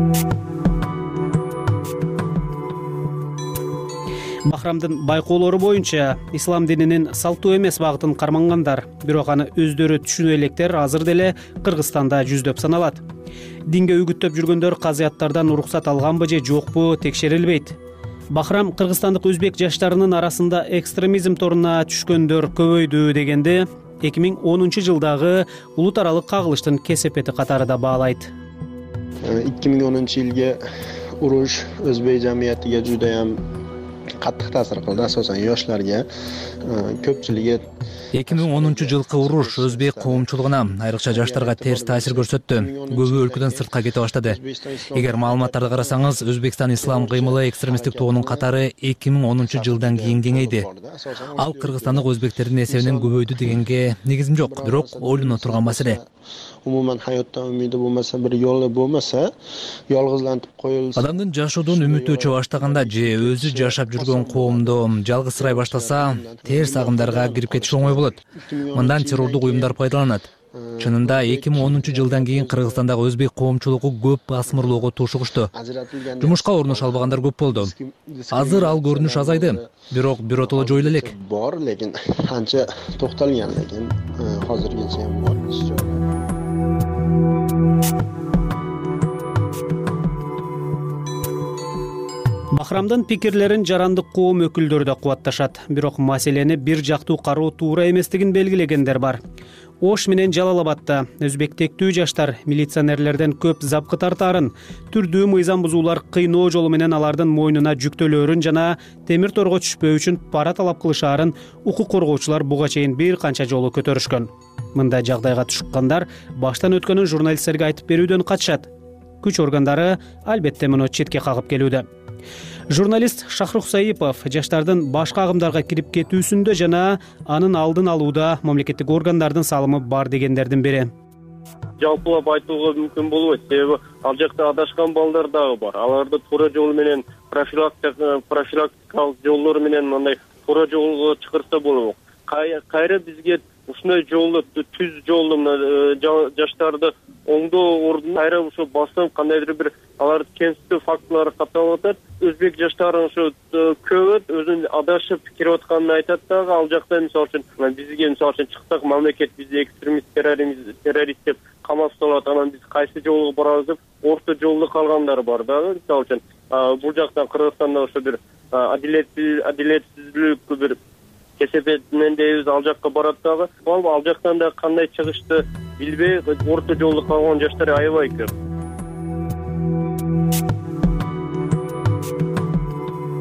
Бахрамдын байкоолору боюнча ислам дининин салттуу эмес багытын кармангандар, бирок аны өздөрү түшүнө электер азыр деле Кыргызстанда жүздөп саналат. Динге үгүттөп жүргөндөр казыяттардан уруксат алганбы же жокпу текшерилбейт. Бахрам кыргызстандык өзбек жаштарынын арасында экстремизм торуна түшкөндөр көбөйдү дегенде 2010-жылдагы улут аралык кагылыштын кесепети катары да баалайт. 2010-жылга уруш өзбек жамиятиге жудайам каттык таасир кылды, асосан yoshlarga. Көпчүлүгү 2010-жылкы уруш өзбек коомчулугуна, айрыкча жаштарга терс таасир көрсөттү. Көбү өлкөдөн сыртка кете баштады. Эгер маалыматтарды карасаңыз, Өзбекстан ислам кыймылы экстремисттик тобунун катары 2010-жылдан кийин кеңейди. Ал кыргызстандык өзбектердин эсебинен көбөйдү дегенге негизим жок, бирок ойлоно турган маселе. Umuman hayotdan umidi bo'lmasa, bir yo'li bo'lmasa, yolg'izlantib qo'yilsa. Адамдын жашоодон үмүтү өчө баштаганда же өзү жашап жүргөн коомдо жалгызсырай баштаса, терс агымдарга кирип кетиш оңой болот. Мындан террордук уюмдар пайдаланат. Чынында 2010-жылдан кийин Кыргызстандагы өзбек коомчулугу көп басмырлоого тушугушту. Жумушка орнош албагандар көп болду. Азыр ал көрүнүш азайды, бирок биротоло жоюла элек. Бор, lekin анча токтолган, lekin hozirgacha ham bor. Бахрамдын пикирлерин жарандык коом өкүлдөрү да кубатташат. Бирок маселени бир жактуу кароо туура эместигин белгилегендер бар. Ош менен Жалал-Абадда өзбектектүү жаштар милиционерлерден көп запкы тартаарын, түрдүү мыйзам бузуулар кыйноо жолу менен алардын мойнуна жүктөлөөрүн жана темир торго түшпөө үчүн пара талап кылышаарын укук коргоочулар буга чейин бир канча жолу көтөрүшкөн. Мындай жагдайга түшкөндөр баштан өткөнүн журналисттерге айтып берүүдөн качышат. Күч органдары албетте муну четке кагып келүүдө. Журналист Шахрух Саипов жаштардын башка агымдарга кирип кетүүсүндө жана анын алдын алууда мамлекеттик органдардын салымы бар дегендердин бири. Жалпылап айтууга мүмкүн болбойт, себеби ал жакта адашкан балдар дагы бар. Аларды туура жол менен профилактикалык жолдор менен мындай туура жолго чакырса болот. Кайра бизге ушундай жолду, түз жолду жаштарды оңдоо ордун кайра ошо басып кандайдыр бир аларды кемситүү фактылары катталып атат. Өзбек жаштары ошо көп өзүн адашып кирип атканын айтат дагы. Ал жакта мисалы үчүн бизге мисалы үчүн чыксак, мамлекет бизди экстремист, террорист деп камап салат, анан биз кайсы жолго барабыз деп орто жолдо калгандар бар дагы. Мисалы үчүн бул жактан Кыргызстанда ошо бир адилетсиздүүлүк бир кесепетинен дейбиз, ал жакка барат дагы. Ал жактан да кандай чыгышты билбей орто жолдо калган жаштар аябай көп.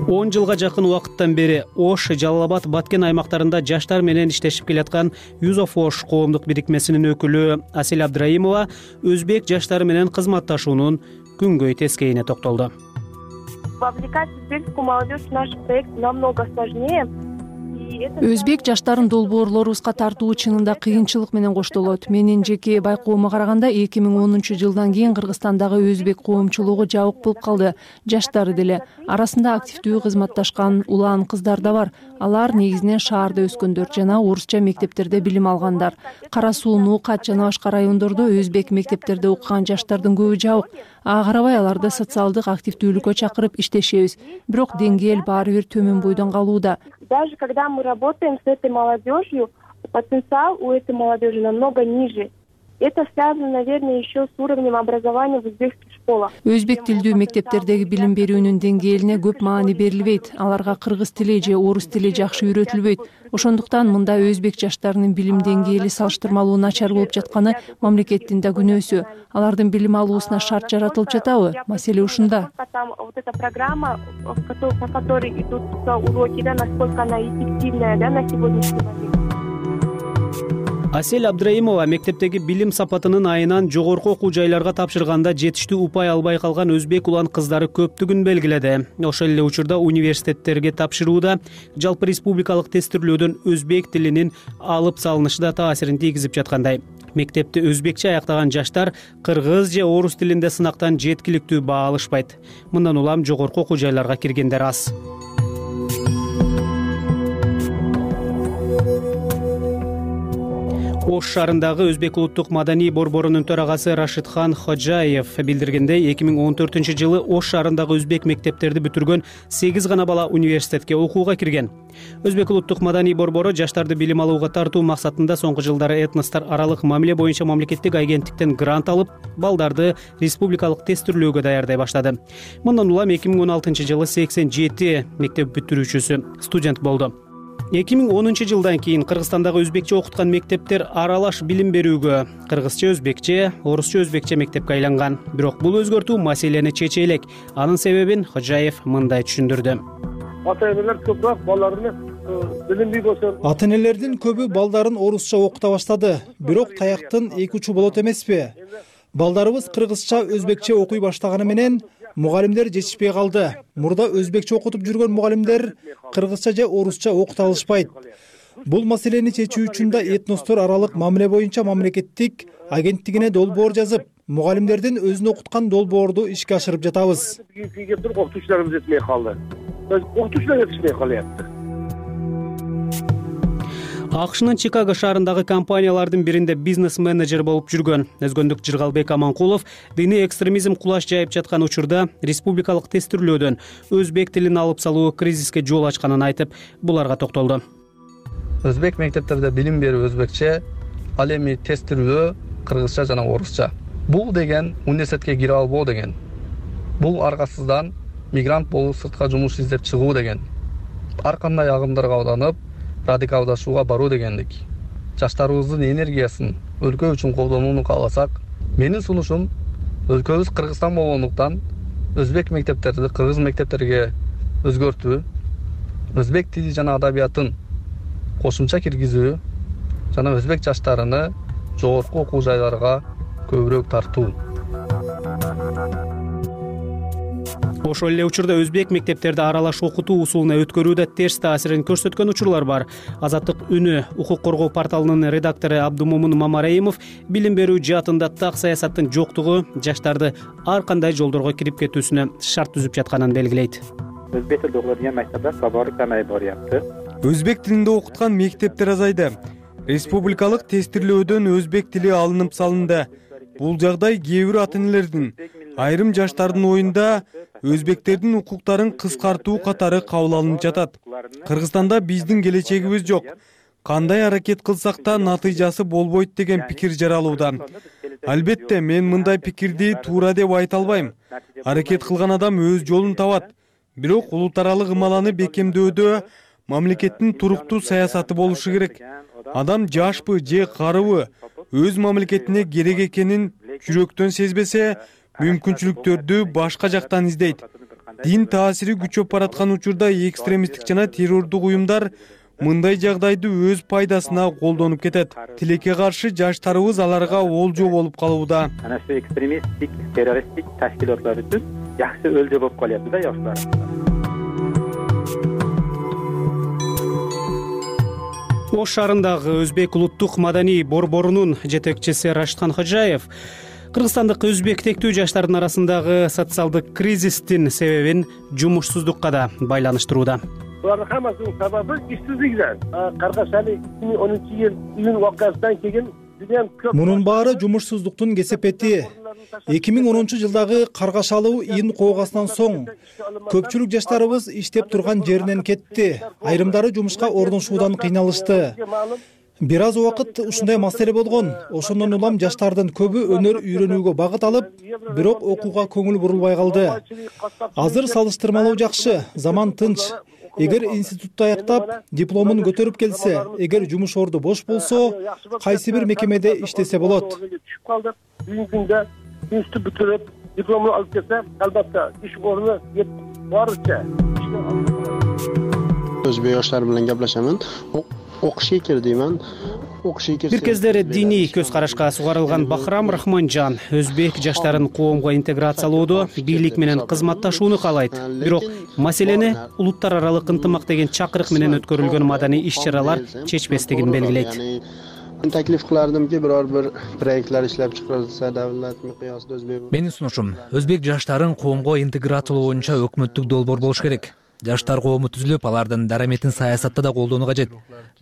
10 жылга жакын убакыттан бери Ош, Жалал-Абад, Баткен аймактарында жаштар менен иштешип келаткан Юзов Ош коомдук бирикмесинин өкүлү Асель Абдраимова өзбек жаштары менен кызматташуунун күнгөй тескейине токтолду. Вовлекать узбекскую молодежь в наш проект намного сложнее. Өзбек жаштарын долбоорлорубузга тартуу чынында кыйынчылык менен коштолот. Менин жеке байкоома караганда 2010-жылдан кийин Кыргызстандагы өзбек коомчулугу жабык болуп калды. Жаштары деле арасында активдүү кызматташкан улан кыздар да бар. Алар негизинен шаарда өскөндөр жана орусча мектептерде билим алгандар. Кара Суу, Нукат жана башка райондордо өзбек мектептерде окуган жаштардын көбү жабык. Ага карабай аларды социалдык активдүүлүккө чакырып иштешебиз. Бирок деңгээл баары бир төмөн бойдон калууда. Даже когда мы работаем с этой молодежью, потенциал у этой молодежи намного ниже. Это связано, наверное, еще с уровнем образования в узбекских школах. Өзбек тилдүү мектептердеги билим берүүнүн деңгээлине көп маани берилбейт. Аларга кыргыз тили же орус тили жакшы үйрөтүлбөйт. Ошондуктан мында өзбек жаштарынын билим деңгээли салыштырмалуу начар болуп жатканы мамлекеттин да күнөөсү. Алардын билим алуусуна шарт жаратылып жатабы? Маселе ушунда. Вот эта программа, по которой идут уроки, да, насколько она эффективная, да, на сегодняшний момент. Асель Абдраимова мектептеги билим сапатынын айынан жогорку окуу жайларга тапшырганда жетиштүү упай албай калган өзбек улан кыздары көптүгүн белгиледи. Ошол эле учурда университеттерге тапшырууда жалпы республикалык тестирлөөдөн өзбек тилинин алып салынышы да таасирин тийгизип жаткандай. Мектепти өзбекче аяктаган жаштар кыргыз же орус тилинде сынактан жеткиликтүү баа алышпайт. Мындан улам жогорку окуу жайларга киргендер аз. Ош шаарындагы Өзбек улуттук маданий борборунун төрагасы Рашидхан Ходжаев билдиргендей, 2014-жылы Ош шаарындагы өзбек мектептерди бүтүргөн 8 гана бала университетке окууга кирген. Өзбек улуттук маданий борбору жаштарды билим алууга тартуу максатында соңку жылдары этностор аралык мамиле боюнча мамлекеттик агенттиктен грант алып, балдарды республикалык тестирлөөгө даярдай баштады. Мындан улам 2016-жылы 87 мектеп бүтүрүүчүсү студент болду. 2010-жылдан кийин Кыргызстандагы өзбекче окуткан мектептер аралаш билим берүүгө кыргызча өзбекче, орусча өзбекче мектепке айланган. Бирок бул өзгөртүү маселени чече элек. Анын себебин Ходжаев мындай түшүндүрдү. ата энелер көбүрөөк балдарыны билимдүү болсо. Ата энелердин көбү балдарын орусча окута баштады. Бирок таяктын эки учу болот эмеспи? Балдарыбыз кыргызча, өзбекче окуй баштаганы менен мугалимдер жетишпей калды. Мурда өзбекче окутуп жүргөн мугалимдер кыргызча же орусча окута алышпайт. Бул маселени чечүү үчүн да этностор аралык мамиле боюнча мамлекеттик агенттигине долбоор жазып, мугалимдердин өзүн окуткан долбоорду ишке ашырып жатабыз. Окутуучуларыбыз жетпей калды. Окутуучулар жетишпей калыпты. АКШнын Чикаго шаарындагы компаниялардын биринде бизнес-менеджер болуп жүргөн Өзгөндүк Жыргалбек Аманкулов диний экстремизм кулаш жайып жаткан учурда республикалык тестирлөөдөн өзбек тилин алып салуу кризиске жол ачканын айтып, буларга токтолду. Өзбек мектептерде билим берүү өзбекче, ал эми тестирлөө кыргызча жана орусча. Бул деген университетке кире албоо деген. Бул аргасыздан мигрант болуп сыртка жумуш издеп чыгуу деген. Ар кандай агымдарга алданып, радикалдашууга баруу дегендик. Жаштарыбыздын энергиясын өлкө үчүн колдонууну кааласак, менин сунушум өлкөбүз Кыргызстан болгондуктан өзбек мектептерди кыргыз мектептерге өзгөртүү, өзбек тили жана адабиятын кошумча киргизүү жана өзбек жаштарыны жогорку окуу жайларга көбүрөөк тартуу. Ошол эле учурда өзбек мектептерде аралаш окутуу усулуна өткөрүүдө терс таасирин көрсөткөн учурлар бар. Азаттык үнү укук коргоо порталынын редактору Абдумомун Мамараимов билим берүү жаатында так саясаттын жоктугу жаштарды ар кандай жолдорго кирип кетүүсүнө шарт түзүп жатканын белгилейт. Өзбек тилинде окутулган мектептер тобору камайып барыпты. Өзбек тилинде окуткан мектептер азайды. Республикалык тестирлөөдөн өзбек тили алынып салынды. Бул жагдай кээ бир ата энелердин, айрым жаштардын оюнда өзбектердин укуктарын кыскартуу катары кабыл алынып жатат. Кыргызстанда биздин келечегибиз жок. Кандай аракет кылсак да натыйжасы болбойт деген пикир жаралууда. Албетте, мен мындай пикирди туура деп айта албайм. Аракет кылган адам өз жолун табат. Бирок улут аралык ымаланы бекемдөөдө мамлекеттин туруктуу саясаты болушу керек. Адам жашпы же карыбы өз мамлекетине керек экенин жүрөктөн сезбесе, мүмкүнчүлүктөрдү башка жактан издейт. Дин таасири күчөп бараткан учурда экстремисттик жана террордук уюмдар мындай жагдайды өз пайдасына колдонуп кетет. Тилекке каршы жаштарыбыз аларга олжо болуп калууда. Ana shu ekstremistik, terroristik tashkilotlar uchun yaxshi o'lja bo'lib qolyapti-da yoshlar. Ош шаарындагы өзбек улуттук маданий борборунун жетекчиси Рашидхан Ходжаев кыргызстандык өзбек тектүү жаштардын арасындагы социалдык кризистин себебин жумушсуздукка да байланыштырууда. Булардын хаммасынын сабабы ишсиздиктен. Каргашали 2010-yыл июнь вакыйгасынан кийин Мунун баары жумушсуздуктун кесепети. 2010-жылдагы каргашалуу июнь коогасынан соң көпчүлүк жаштарыбыз иштеп турган жеринен кетти. Айрымдары жумушка орношуудан кыйналышты. Бир аз убакыт ушундай маселе болгон. Ошондон улам жаштардын көбү өнөр үйрөнүүгө багыт алып, бирок окууга көңүл бурулбай калды. Азыр салыштырмалуу жакшы, заман тынч. Эгер институтты аяктап, дипломун көтөрүп келсе, эгер жумуш орду бош болсо, кайсы бир мекемеде иштесе болот. Бүгүнкү күндө институт бүтүрүп, дипломун алып келсе, албетте иш орну барыча. Өзбек yoshlar bilan gaplashamiz. O'qishga kirdimman. Бир кездери диний көз карашка сугарылган Бахрам Рахманжан өзбек жаштарын коомго интеграциялоодо бийлик менен кызматташууну каалайт. Бирок маселени улуттар аралык ынтымак деген чакырык менен өткөрүлгөн маданий иш-чаралар чечпестигин белгилейт. Taklif qilardimki, biror bir proyektlar ishlab chiqarilsa davlat miqyosida o'zbek. Менин сунушум, өзбек жаштарын коомго интеграциялоо боюнча өкмөттүк долбоор болуш керек. Жаштар коому түзүлүп, алардын дараметин саясатта да колдонуу кажет.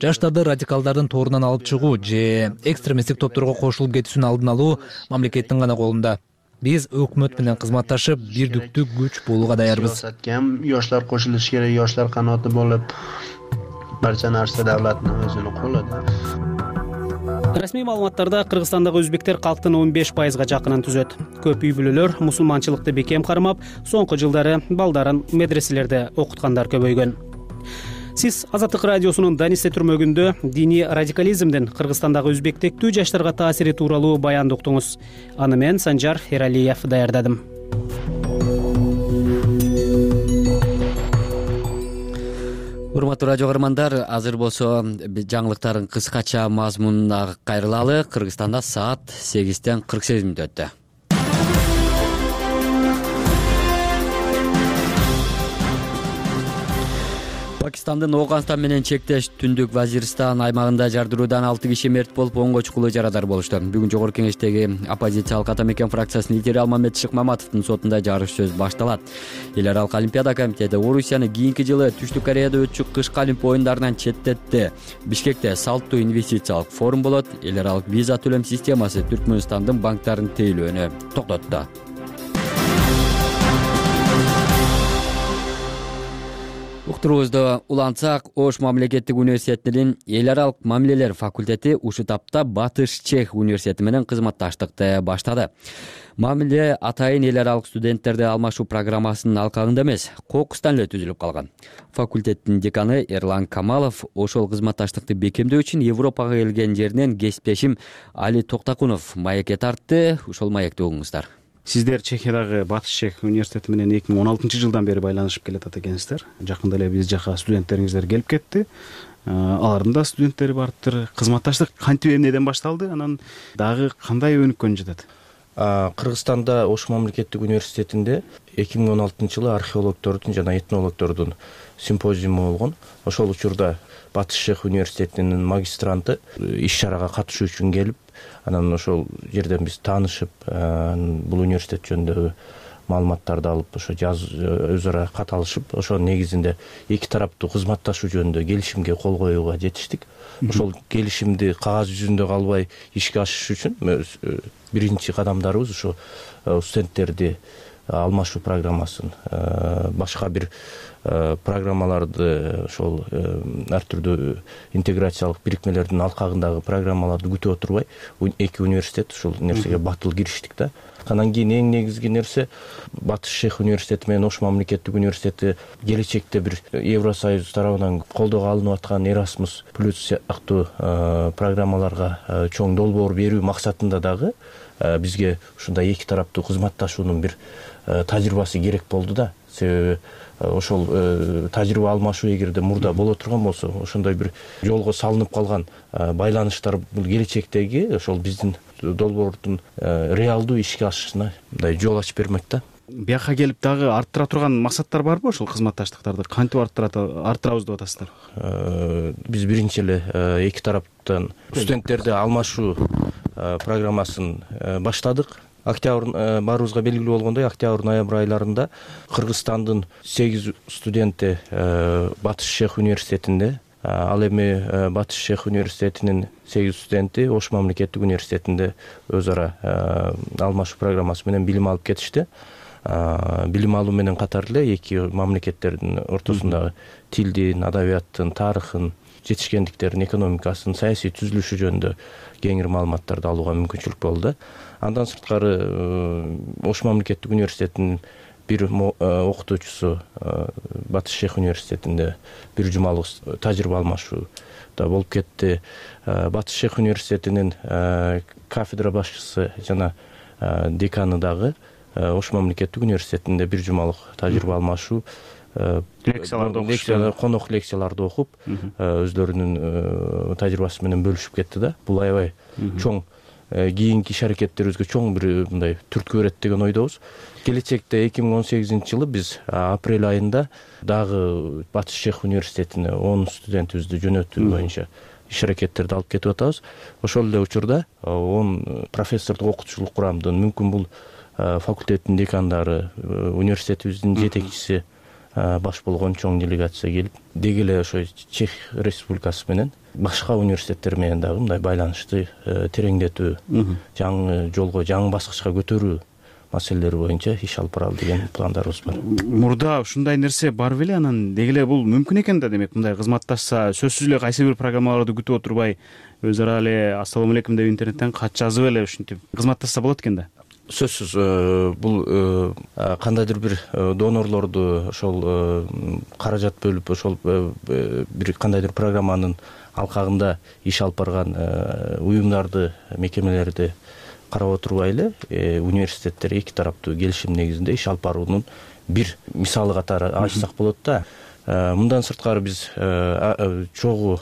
Жаштарды радикалдардын торунан алып чыгуу же экстремисттик топторго кошулуп кетүүсүн алдын алуу мамлекеттин гана колунда. Биз өкмөт менен кызматташып, бирдиктүү күч болууга даярбыз. Yoshlar qo'shilishi kerak, yoshlar qanoti bo'lib, barcha narsa davlatning o'zini qo'lida. Расмий маалыматтарда Кыргызстандагы өзбектер калктын 15%га жакынын түзөт. Көп үй бүлөлөр мусулманчылыкты бекем кармап, соңку жылдары балдарын медреселерде окуткандар көбөйгөн. Сиз Азаттык радиосунун Данисте түрмөгүндө диний радикализмдин Кыргызстандагы өзбек тектүү жаштарга таасири тууралуу баянды уктуңуз. Аны мен Санжар Эралиев даярдадым. урматтуу радио каармандар, азыр болсо жаңылыктардын кыскача мазмунуна кайрылалы. Кыргызстанда саат 8:48 өттү. Пакистандын Ооганстан менен чектеш Түндүк Вазиристан аймагында жардыруудан 6 киши мерт болуп, 10 чукулуу жарадар болушту. Бүгүн Жогорку Кеңештеги оппозициялык Атамекен фракциясынын лидери Алмамет Шыкмаматовдун сотунда жарыш сөз башталат. Эл аралык Олимпиада комитети Орусияны кийинки жылы Түштүк Кореяда өтчү кышкы Олимпия оюндарынан четтетти. Бишкекте салттуу инвестициялык форум болот. Эл аралык виза төлөм системасы Түркмөнстандын банктарын тейлөөнү токтотту. Уктуруубузду улантсак, Ош мамлекеттик университетинин эл аралык мамилелер факультети ушул тапта Батыш Чех университети менен кызматташтыкты баштады. Мамиле атайын эл аралык студенттерди алмашуу программасынын алкагында эмес, кокустан эле түзүлүп калган. Факультеттин деканы Эрлан Камалов ошол кызматташтыкты бекемдөө үчүн Европага келген жеринен кесиптешим Али Токтакунов маекке тартты. Ошол маекти угуңуздар. Сиздер Чехиядагы Батыш Чех университети менен 2016-жылдан бери байланышып келатат экенсиздер. Жакында эле биз жака студенттериңиздер келип кетти. Алардын да студенттери барыптыр. Кызматташтык кантип эмнеден башталды? Анан дагы кандай өнүккөн жатат? Кыргызстанда Ош мамлекеттик университетинде 2016-жылы археологдордун жана этнологдордун симпозиуму болгон. Ошол учурда Батыш Чех университетинин магистранты иш-чарага катышуу үчүн келип, анан ошол жерден биз таанышып, бул университет жөнүндөгү маалыматтарды алып, ошо өз ара кат алышып, ошонун негизинде эки тараптуу кызматташуу жөнүндө келишимге кол коюуга жетиштик. Ошол келишимди кагаз жүзүндө калбай ишке ашырыш үчүн биринчи кадамдарыбыз ушу студенттерди алмашуу программасын, башка бир программаларды, ошол ар түрдүү интеграциялык бирикмелердин алкагындагы программаларды күтүп отурбай, эки университет ушул нерсеге батыл кириштик да. Анан кийин эң негизги нерсе Батыш Чех университети менен Ош мамлекеттик университети келечекте бир Евросоюз тарабынан колдоого алынып аткан Erasmus Plus сыяктуу программаларга чоң долбоор берүү максатында дагы бизге ушундай эки тараптуу кызматташуунун бир тажрыйбасы керек болду да. Себеби ошол тажрыйба алмашуу эгерде мурда боло турган болсо, ошондой бир жолго салынып калган байланыштар бул келечектеги ошол биздин долбоордун реалдуу ишке ашышына мындай жол ачып бермек да. Бияка келип дагы арттыра турган максаттар барбы ошол кызматташтыктарды? Кантип арттырабыз деп атасыздар? Биз биринчи эле эки тараптан студенттерди алмашуу программасын баштадык. Октябрь баарыбызга белгилүү болгондой, октябрь-ноябрь айларында Кыргызстандын 8 студенти Батыш Чех университетинде, ал эми Батыш Чех университетинин 8 студенти Ош мамлекеттик университетинде өз ара алмашуу программасы менен билим алып кетишти. Билим алуу менен катар эле эки мамлекеттердин ортосундагы тилдин, адабияттын, тарыхын, жетишкендиктерин, экономикасын, саясий түзүлүшү жөнүндө кеңири маалыматтарды алууга мүмкүнчүлүк болду. Андан сырткары Ош мамлекеттик университетинин бир окутуучусу Батыш Чех университетинде бир жумалык тажрыйба алмашуу да болуп кетти. Батыш Чех университетинин кафедра башчысы жана деканы дагы Ош мамлекеттик университетинде бир жумалык тажрыйба алмашуу, конок лекцияларды окуп, өздөрүнүн тажрыйбасы менен бөлүшүп кетти да. Бул аябай чоң кийинки иш аракеттерибизге чоң бир мындай түрткү берет деген ойдобуз. Келечекте 2018-жылы биз апрель айында дагы Батыш Чех университетине 10 студентибизди жөнөтүү боюнча иш аракеттерди алып кетип атабыз. Ошол эле учурда 10 профессордук окутуучулук курамдын, мүмкүн бул факультеттин декандары, университетибиздин жетекчиси баш болгон чоң делегация келип, деги эле ошо Чех республикасы менен башка университеттер менен дагы мындай байланышты тереңдетүү, жаңы жолго, жаңы баскычка көтөрүү маселелери боюнча иш алып баралы деген пландарыбыз бар. Мурда ушундай нерсе бар беле, анан деги эле бул мүмкүн экен да, демек мындай кызматташса, сөзсүз эле кайсы бир программаларды күтүп отурбай, өз ара эле ассалам алейкум деп интернеттен кат жазып эле ушинтип кызматташса болот экен да. Сөзсүз бул кандайдыр бир донорлорду ошол каражат бөлүп, ошол бир кандайдыр программанын алкагында иш алып барган уюмдарды, мекемелерди карап отурбай эле университеттер эки тараптуу келишим негизинде иш алып баруунун бир мисалы катары ачсак болот да. Мындан сырткары биз чогуу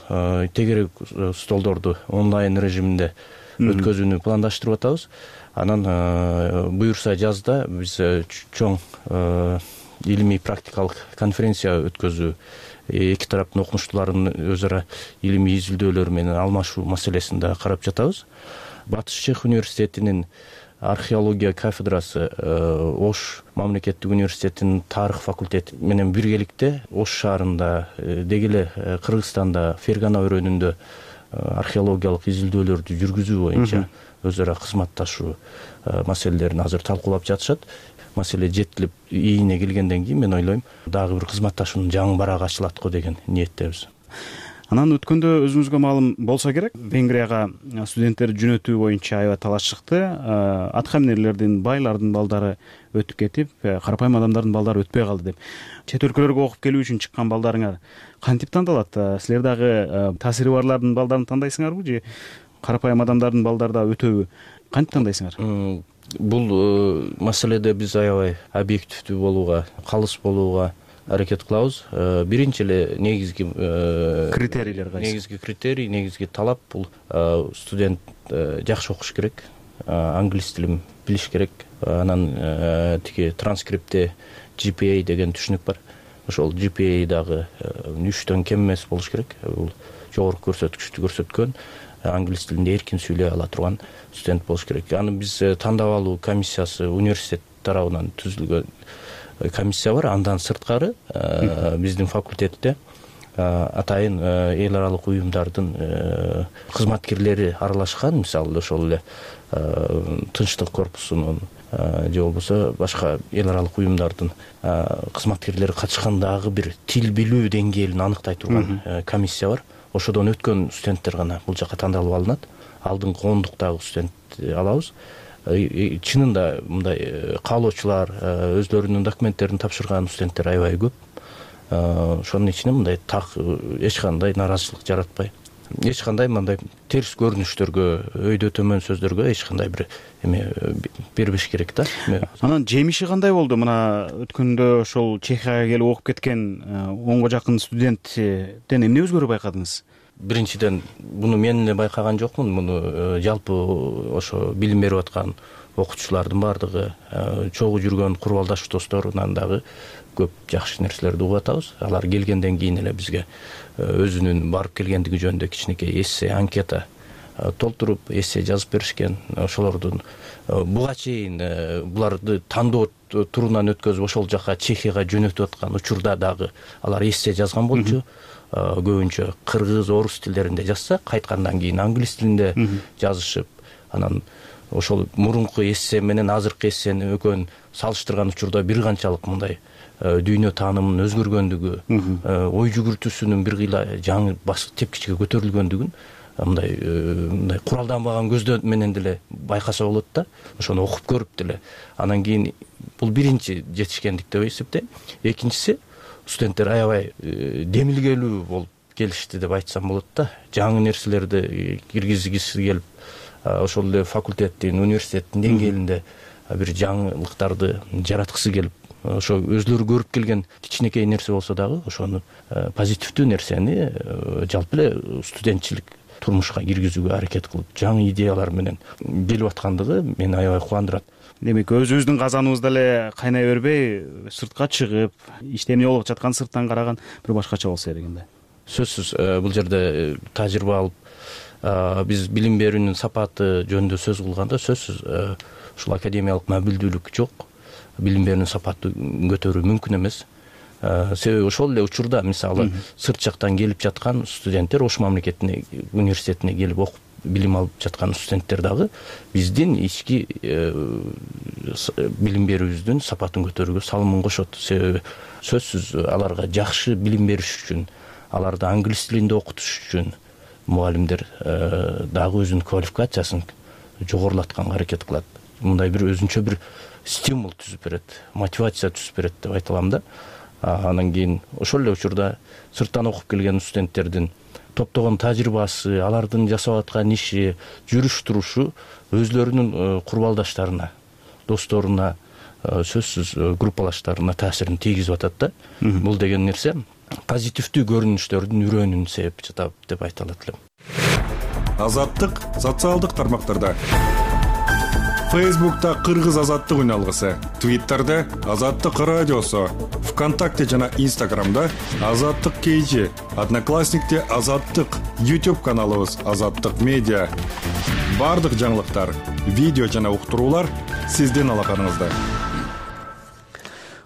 тегерек столдорду онлайн режиминде өткөзүүнү пландаштырып атабыз. Анан буюрса жазда биз чоң илимий практикалык конференция өткөзүү, эки тараптын окумуштууларынын өз ара илимий изилдөөлөрү менен алмашуу маселесин да карап жатабыз. Батыш Чех университетинин археология кафедрасы Ош мамлекеттик университетинин тарых факультети менен биргеликте Ош шаарында деги эле Кыргызстанда Фергана өрөөнүндө археологиялык изилдөөлөрдү жүргүзүү боюнча өз ара кызматташуу маселелерин азыр талкуулап жатышат. Маселе жетилип ийине келгенден кийин мен ойлойм дагы бир кызматташуунун жаңы барагы ачылат го деген ниеттебиз. Анан өткөндө өзүңүзгө маалым болсо керек, Венгрияга студенттер жөнөтүү боюнча аябай талаш чыкты. Аткаминерлердин, байлардын балдары өтүп кетип, карапайым адамдардын балдары өтпөй калды деп. Чет өлкөлөргө окуп келүү үчүн чыккан балдарыңар кантип тандалат? Силер дагы таасири барлардын балдарын тандайсыңарбы же карапайым адамдардын балдары да өтөбү? Кантип тандайсыңар? Бул маселеде биз аябай объективдүү болууга, калыс болууга аракет кылабыз. Биринчи эле негизги критерийлер кайсы? Негизги критерий, негизги талап бул студент жакшы окуш керек, англис тилин билиш керек. Анан тиги транскриптте GPA деген түшүнүк бар. Ошол GPA дагы 3төн кем эмес болуш керек. Бул жогорку көрсөткүчтү көрсөткөн, англис тилинде эркин сүйлөй ала турган студент болуш керек. Аны биз тандап алуу комиссиясы университет тарабынан түзүлгөн комиссия бар. Андан сырткары биздин факультетте атайын эл аралык уюмдардын кызматкерлери аралашкан. Мисалы ошол эле Тынчтык корпусунун же болбосо башка эл аралык уюмдардын кызматкерлери катышкан дагы бир тил билүү деңгээлин аныктай турган комиссия бар. Ошодон өткөн студенттер гана бул жака тандалып алынат. Алдыңкы 10-дуктагы студент алабыз. Чынында мындай каалоочулар, өзлөрүнүн документтерин тапшырган студенттер аябай көп. Ошонун ичинен мындай так эч кандай нааразычылык жаратпай, эч кандай мындай терс көрүнүштөргө, өйдө төмөн сөздөргө эч кандай бир эме бербеш керек да. Анан жемиши кандай болду? Мына өткөндө ошол Чехияга келип окуп кеткен 10го жакын студенттен эмне өзгөрүү байкадыңыз? Биринчиден муну мен эле байкаган жокмун. Муну жалпы ошо билим берип аткан окутуучулардын баардыгы, чогуу жүргөн курбалдаш досторунан дагы көп жакшы нерселерди угуп атабыз. Алар келгенден кийин эле бизге өзүнүн барып келгендиги жөнүндө кичинекей эссе, анкета толтуруп, эссе жазып беришкен. Ошолордун буга чейин буларды тандоо турунан өткөзүп ошол жака Чехияга жөнөтүп аткан учурда дагы алар эссе жазган болчу. Көбүнчө кыргыз, орус тилдеринде жазса, кайткандан кийин англис тилинде жазышып, анан ошол мурунку эссе менен азыркы эссени экөөнүн салыштырган учурда бир канчалык мындай дүйнө таанымынын өзгөргөндүгү, ой жүгүртүүсүнүн бир кыйла жаңы тепкичке көтөрүлгөндүгүн мындай куралданбаган көздөр менен деле байкаса болот да. Ошону окуп көрүп деле анан кийин бул биринчи жетишкендик деп эсептейм. Экинчиси, студенттер аябай демилгелүү болуп келишти деп айтсам болот да. Жаңы нерселерди киргизгиси келип, ошол эле факультеттин, университеттин деңгээлинде бир жаңылыктарды жараткысы келип, ошо өзлөрү көрүп келген кичинекей нерсе болсо дагы ошону позитивдүү нерсени жалпы эле студентчилик турмушка киргизүүгө аракет кылып, жаңы идеялар менен келип аткандыгы мени аябай кубандырат. Демек, өзүбүздүн казаныбызда эле кайнай бербей, сыртка чыгып, иште эмне болуп жатканын сырттан караган бир башкача болсо керек да. Сөзсүз бул жерде тажрыйба алып, биз билим берүүнүн сапаты жөнүндө сөз кылганда сөзсүз ушул академиялык мобилдүүлүк жок. Билим берүүнүн сапатын көтөрүү мүмкүн эмес. Себеби ошол эле учурда мисалы сырт жактан келип жаткан студенттер, Ош мамлекеттик университетине келип окуп билим алып жаткан студенттер дагы биздин ички билим берүүбүздүн сапатын көтөрүүгө салымын кошот. Себеби сөзсүз аларга жакшы билим бериш үчүн, аларды англис тилинде окутуш үчүн мугалимдер дагы өзүнүн квалификациясын жогорулатканга аракет кылат. Мындай бир өзүнчө бир стимул түзүп берет, мотивация түзүп берет деп айта алам да. Анан кийин ошол эле учурда сырттан окуп келген студенттердин топтогон тажрыйбасы, алардын жасап аткан иши, жүрүш турушу өзлөрүнүн курбалдаштарына, досторуна, сөзсүз группалаштарына таасирин тийгизип атат да. Бул деген нерсе позитивдүү көрүнүштөрдүн үрөөнүн себеби жатат деп айта алат элем. Азаттык социалдык тармактарда. Фейсбукта Кыргыз азаттык үн алгысы, Твиттерде Азаттык радиосу, ВКонтакте жана Инстаграмда Азаттык KG, Одноклассникте Азаттык, YouTube каналыбыз Азаттык медиа. Бардык жаңылыктар, видео жана уктуруулар сиздин алаканыңызда.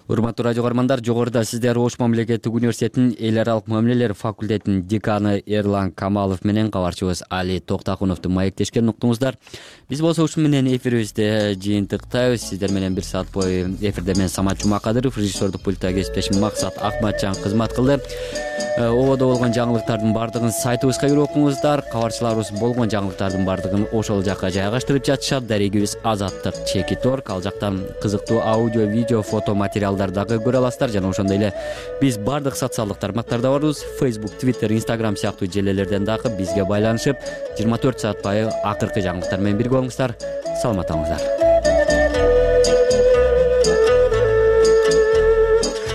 Урматтуу радио көрөрмандар, жогоруда сиздер Ош мамлекеттик университетинин эл аралык мамилелер факультетинин деканы Эрлан Камалов менен кабарчыбыз Али Токтакуновду маектешкен уктуңуздар. Биз болсо ушу менен эфирибизди жыйынтыктайбыз. Сиздер менен бир саат бою эфирде мен Самат Жумакадыров, режиссердук пульта кесиптешим Максат Акматжан кызмат кылды. Ободо болгон жаңылыктардын бардыгын сайтыбызга кирип окуңуздар. Кабарчыларыбыз болгон жаңылыктардын бардыгын ошол жакка жайгаштырып жатышат. Дарегибиз Азаттык.org. Ал жактан кызыктуу аудио, видео, фото материалдарды көрө аласыздар. Жана ошондой эле биз бардык социалдык тармактарда барбыз. Facebook, Twitter, Instagram сыяктуу желелерден дагы бизге байланышып 24 саат бою акыркы жаңылыктар менен бирге болуңуздар. Саламат болуңуздар.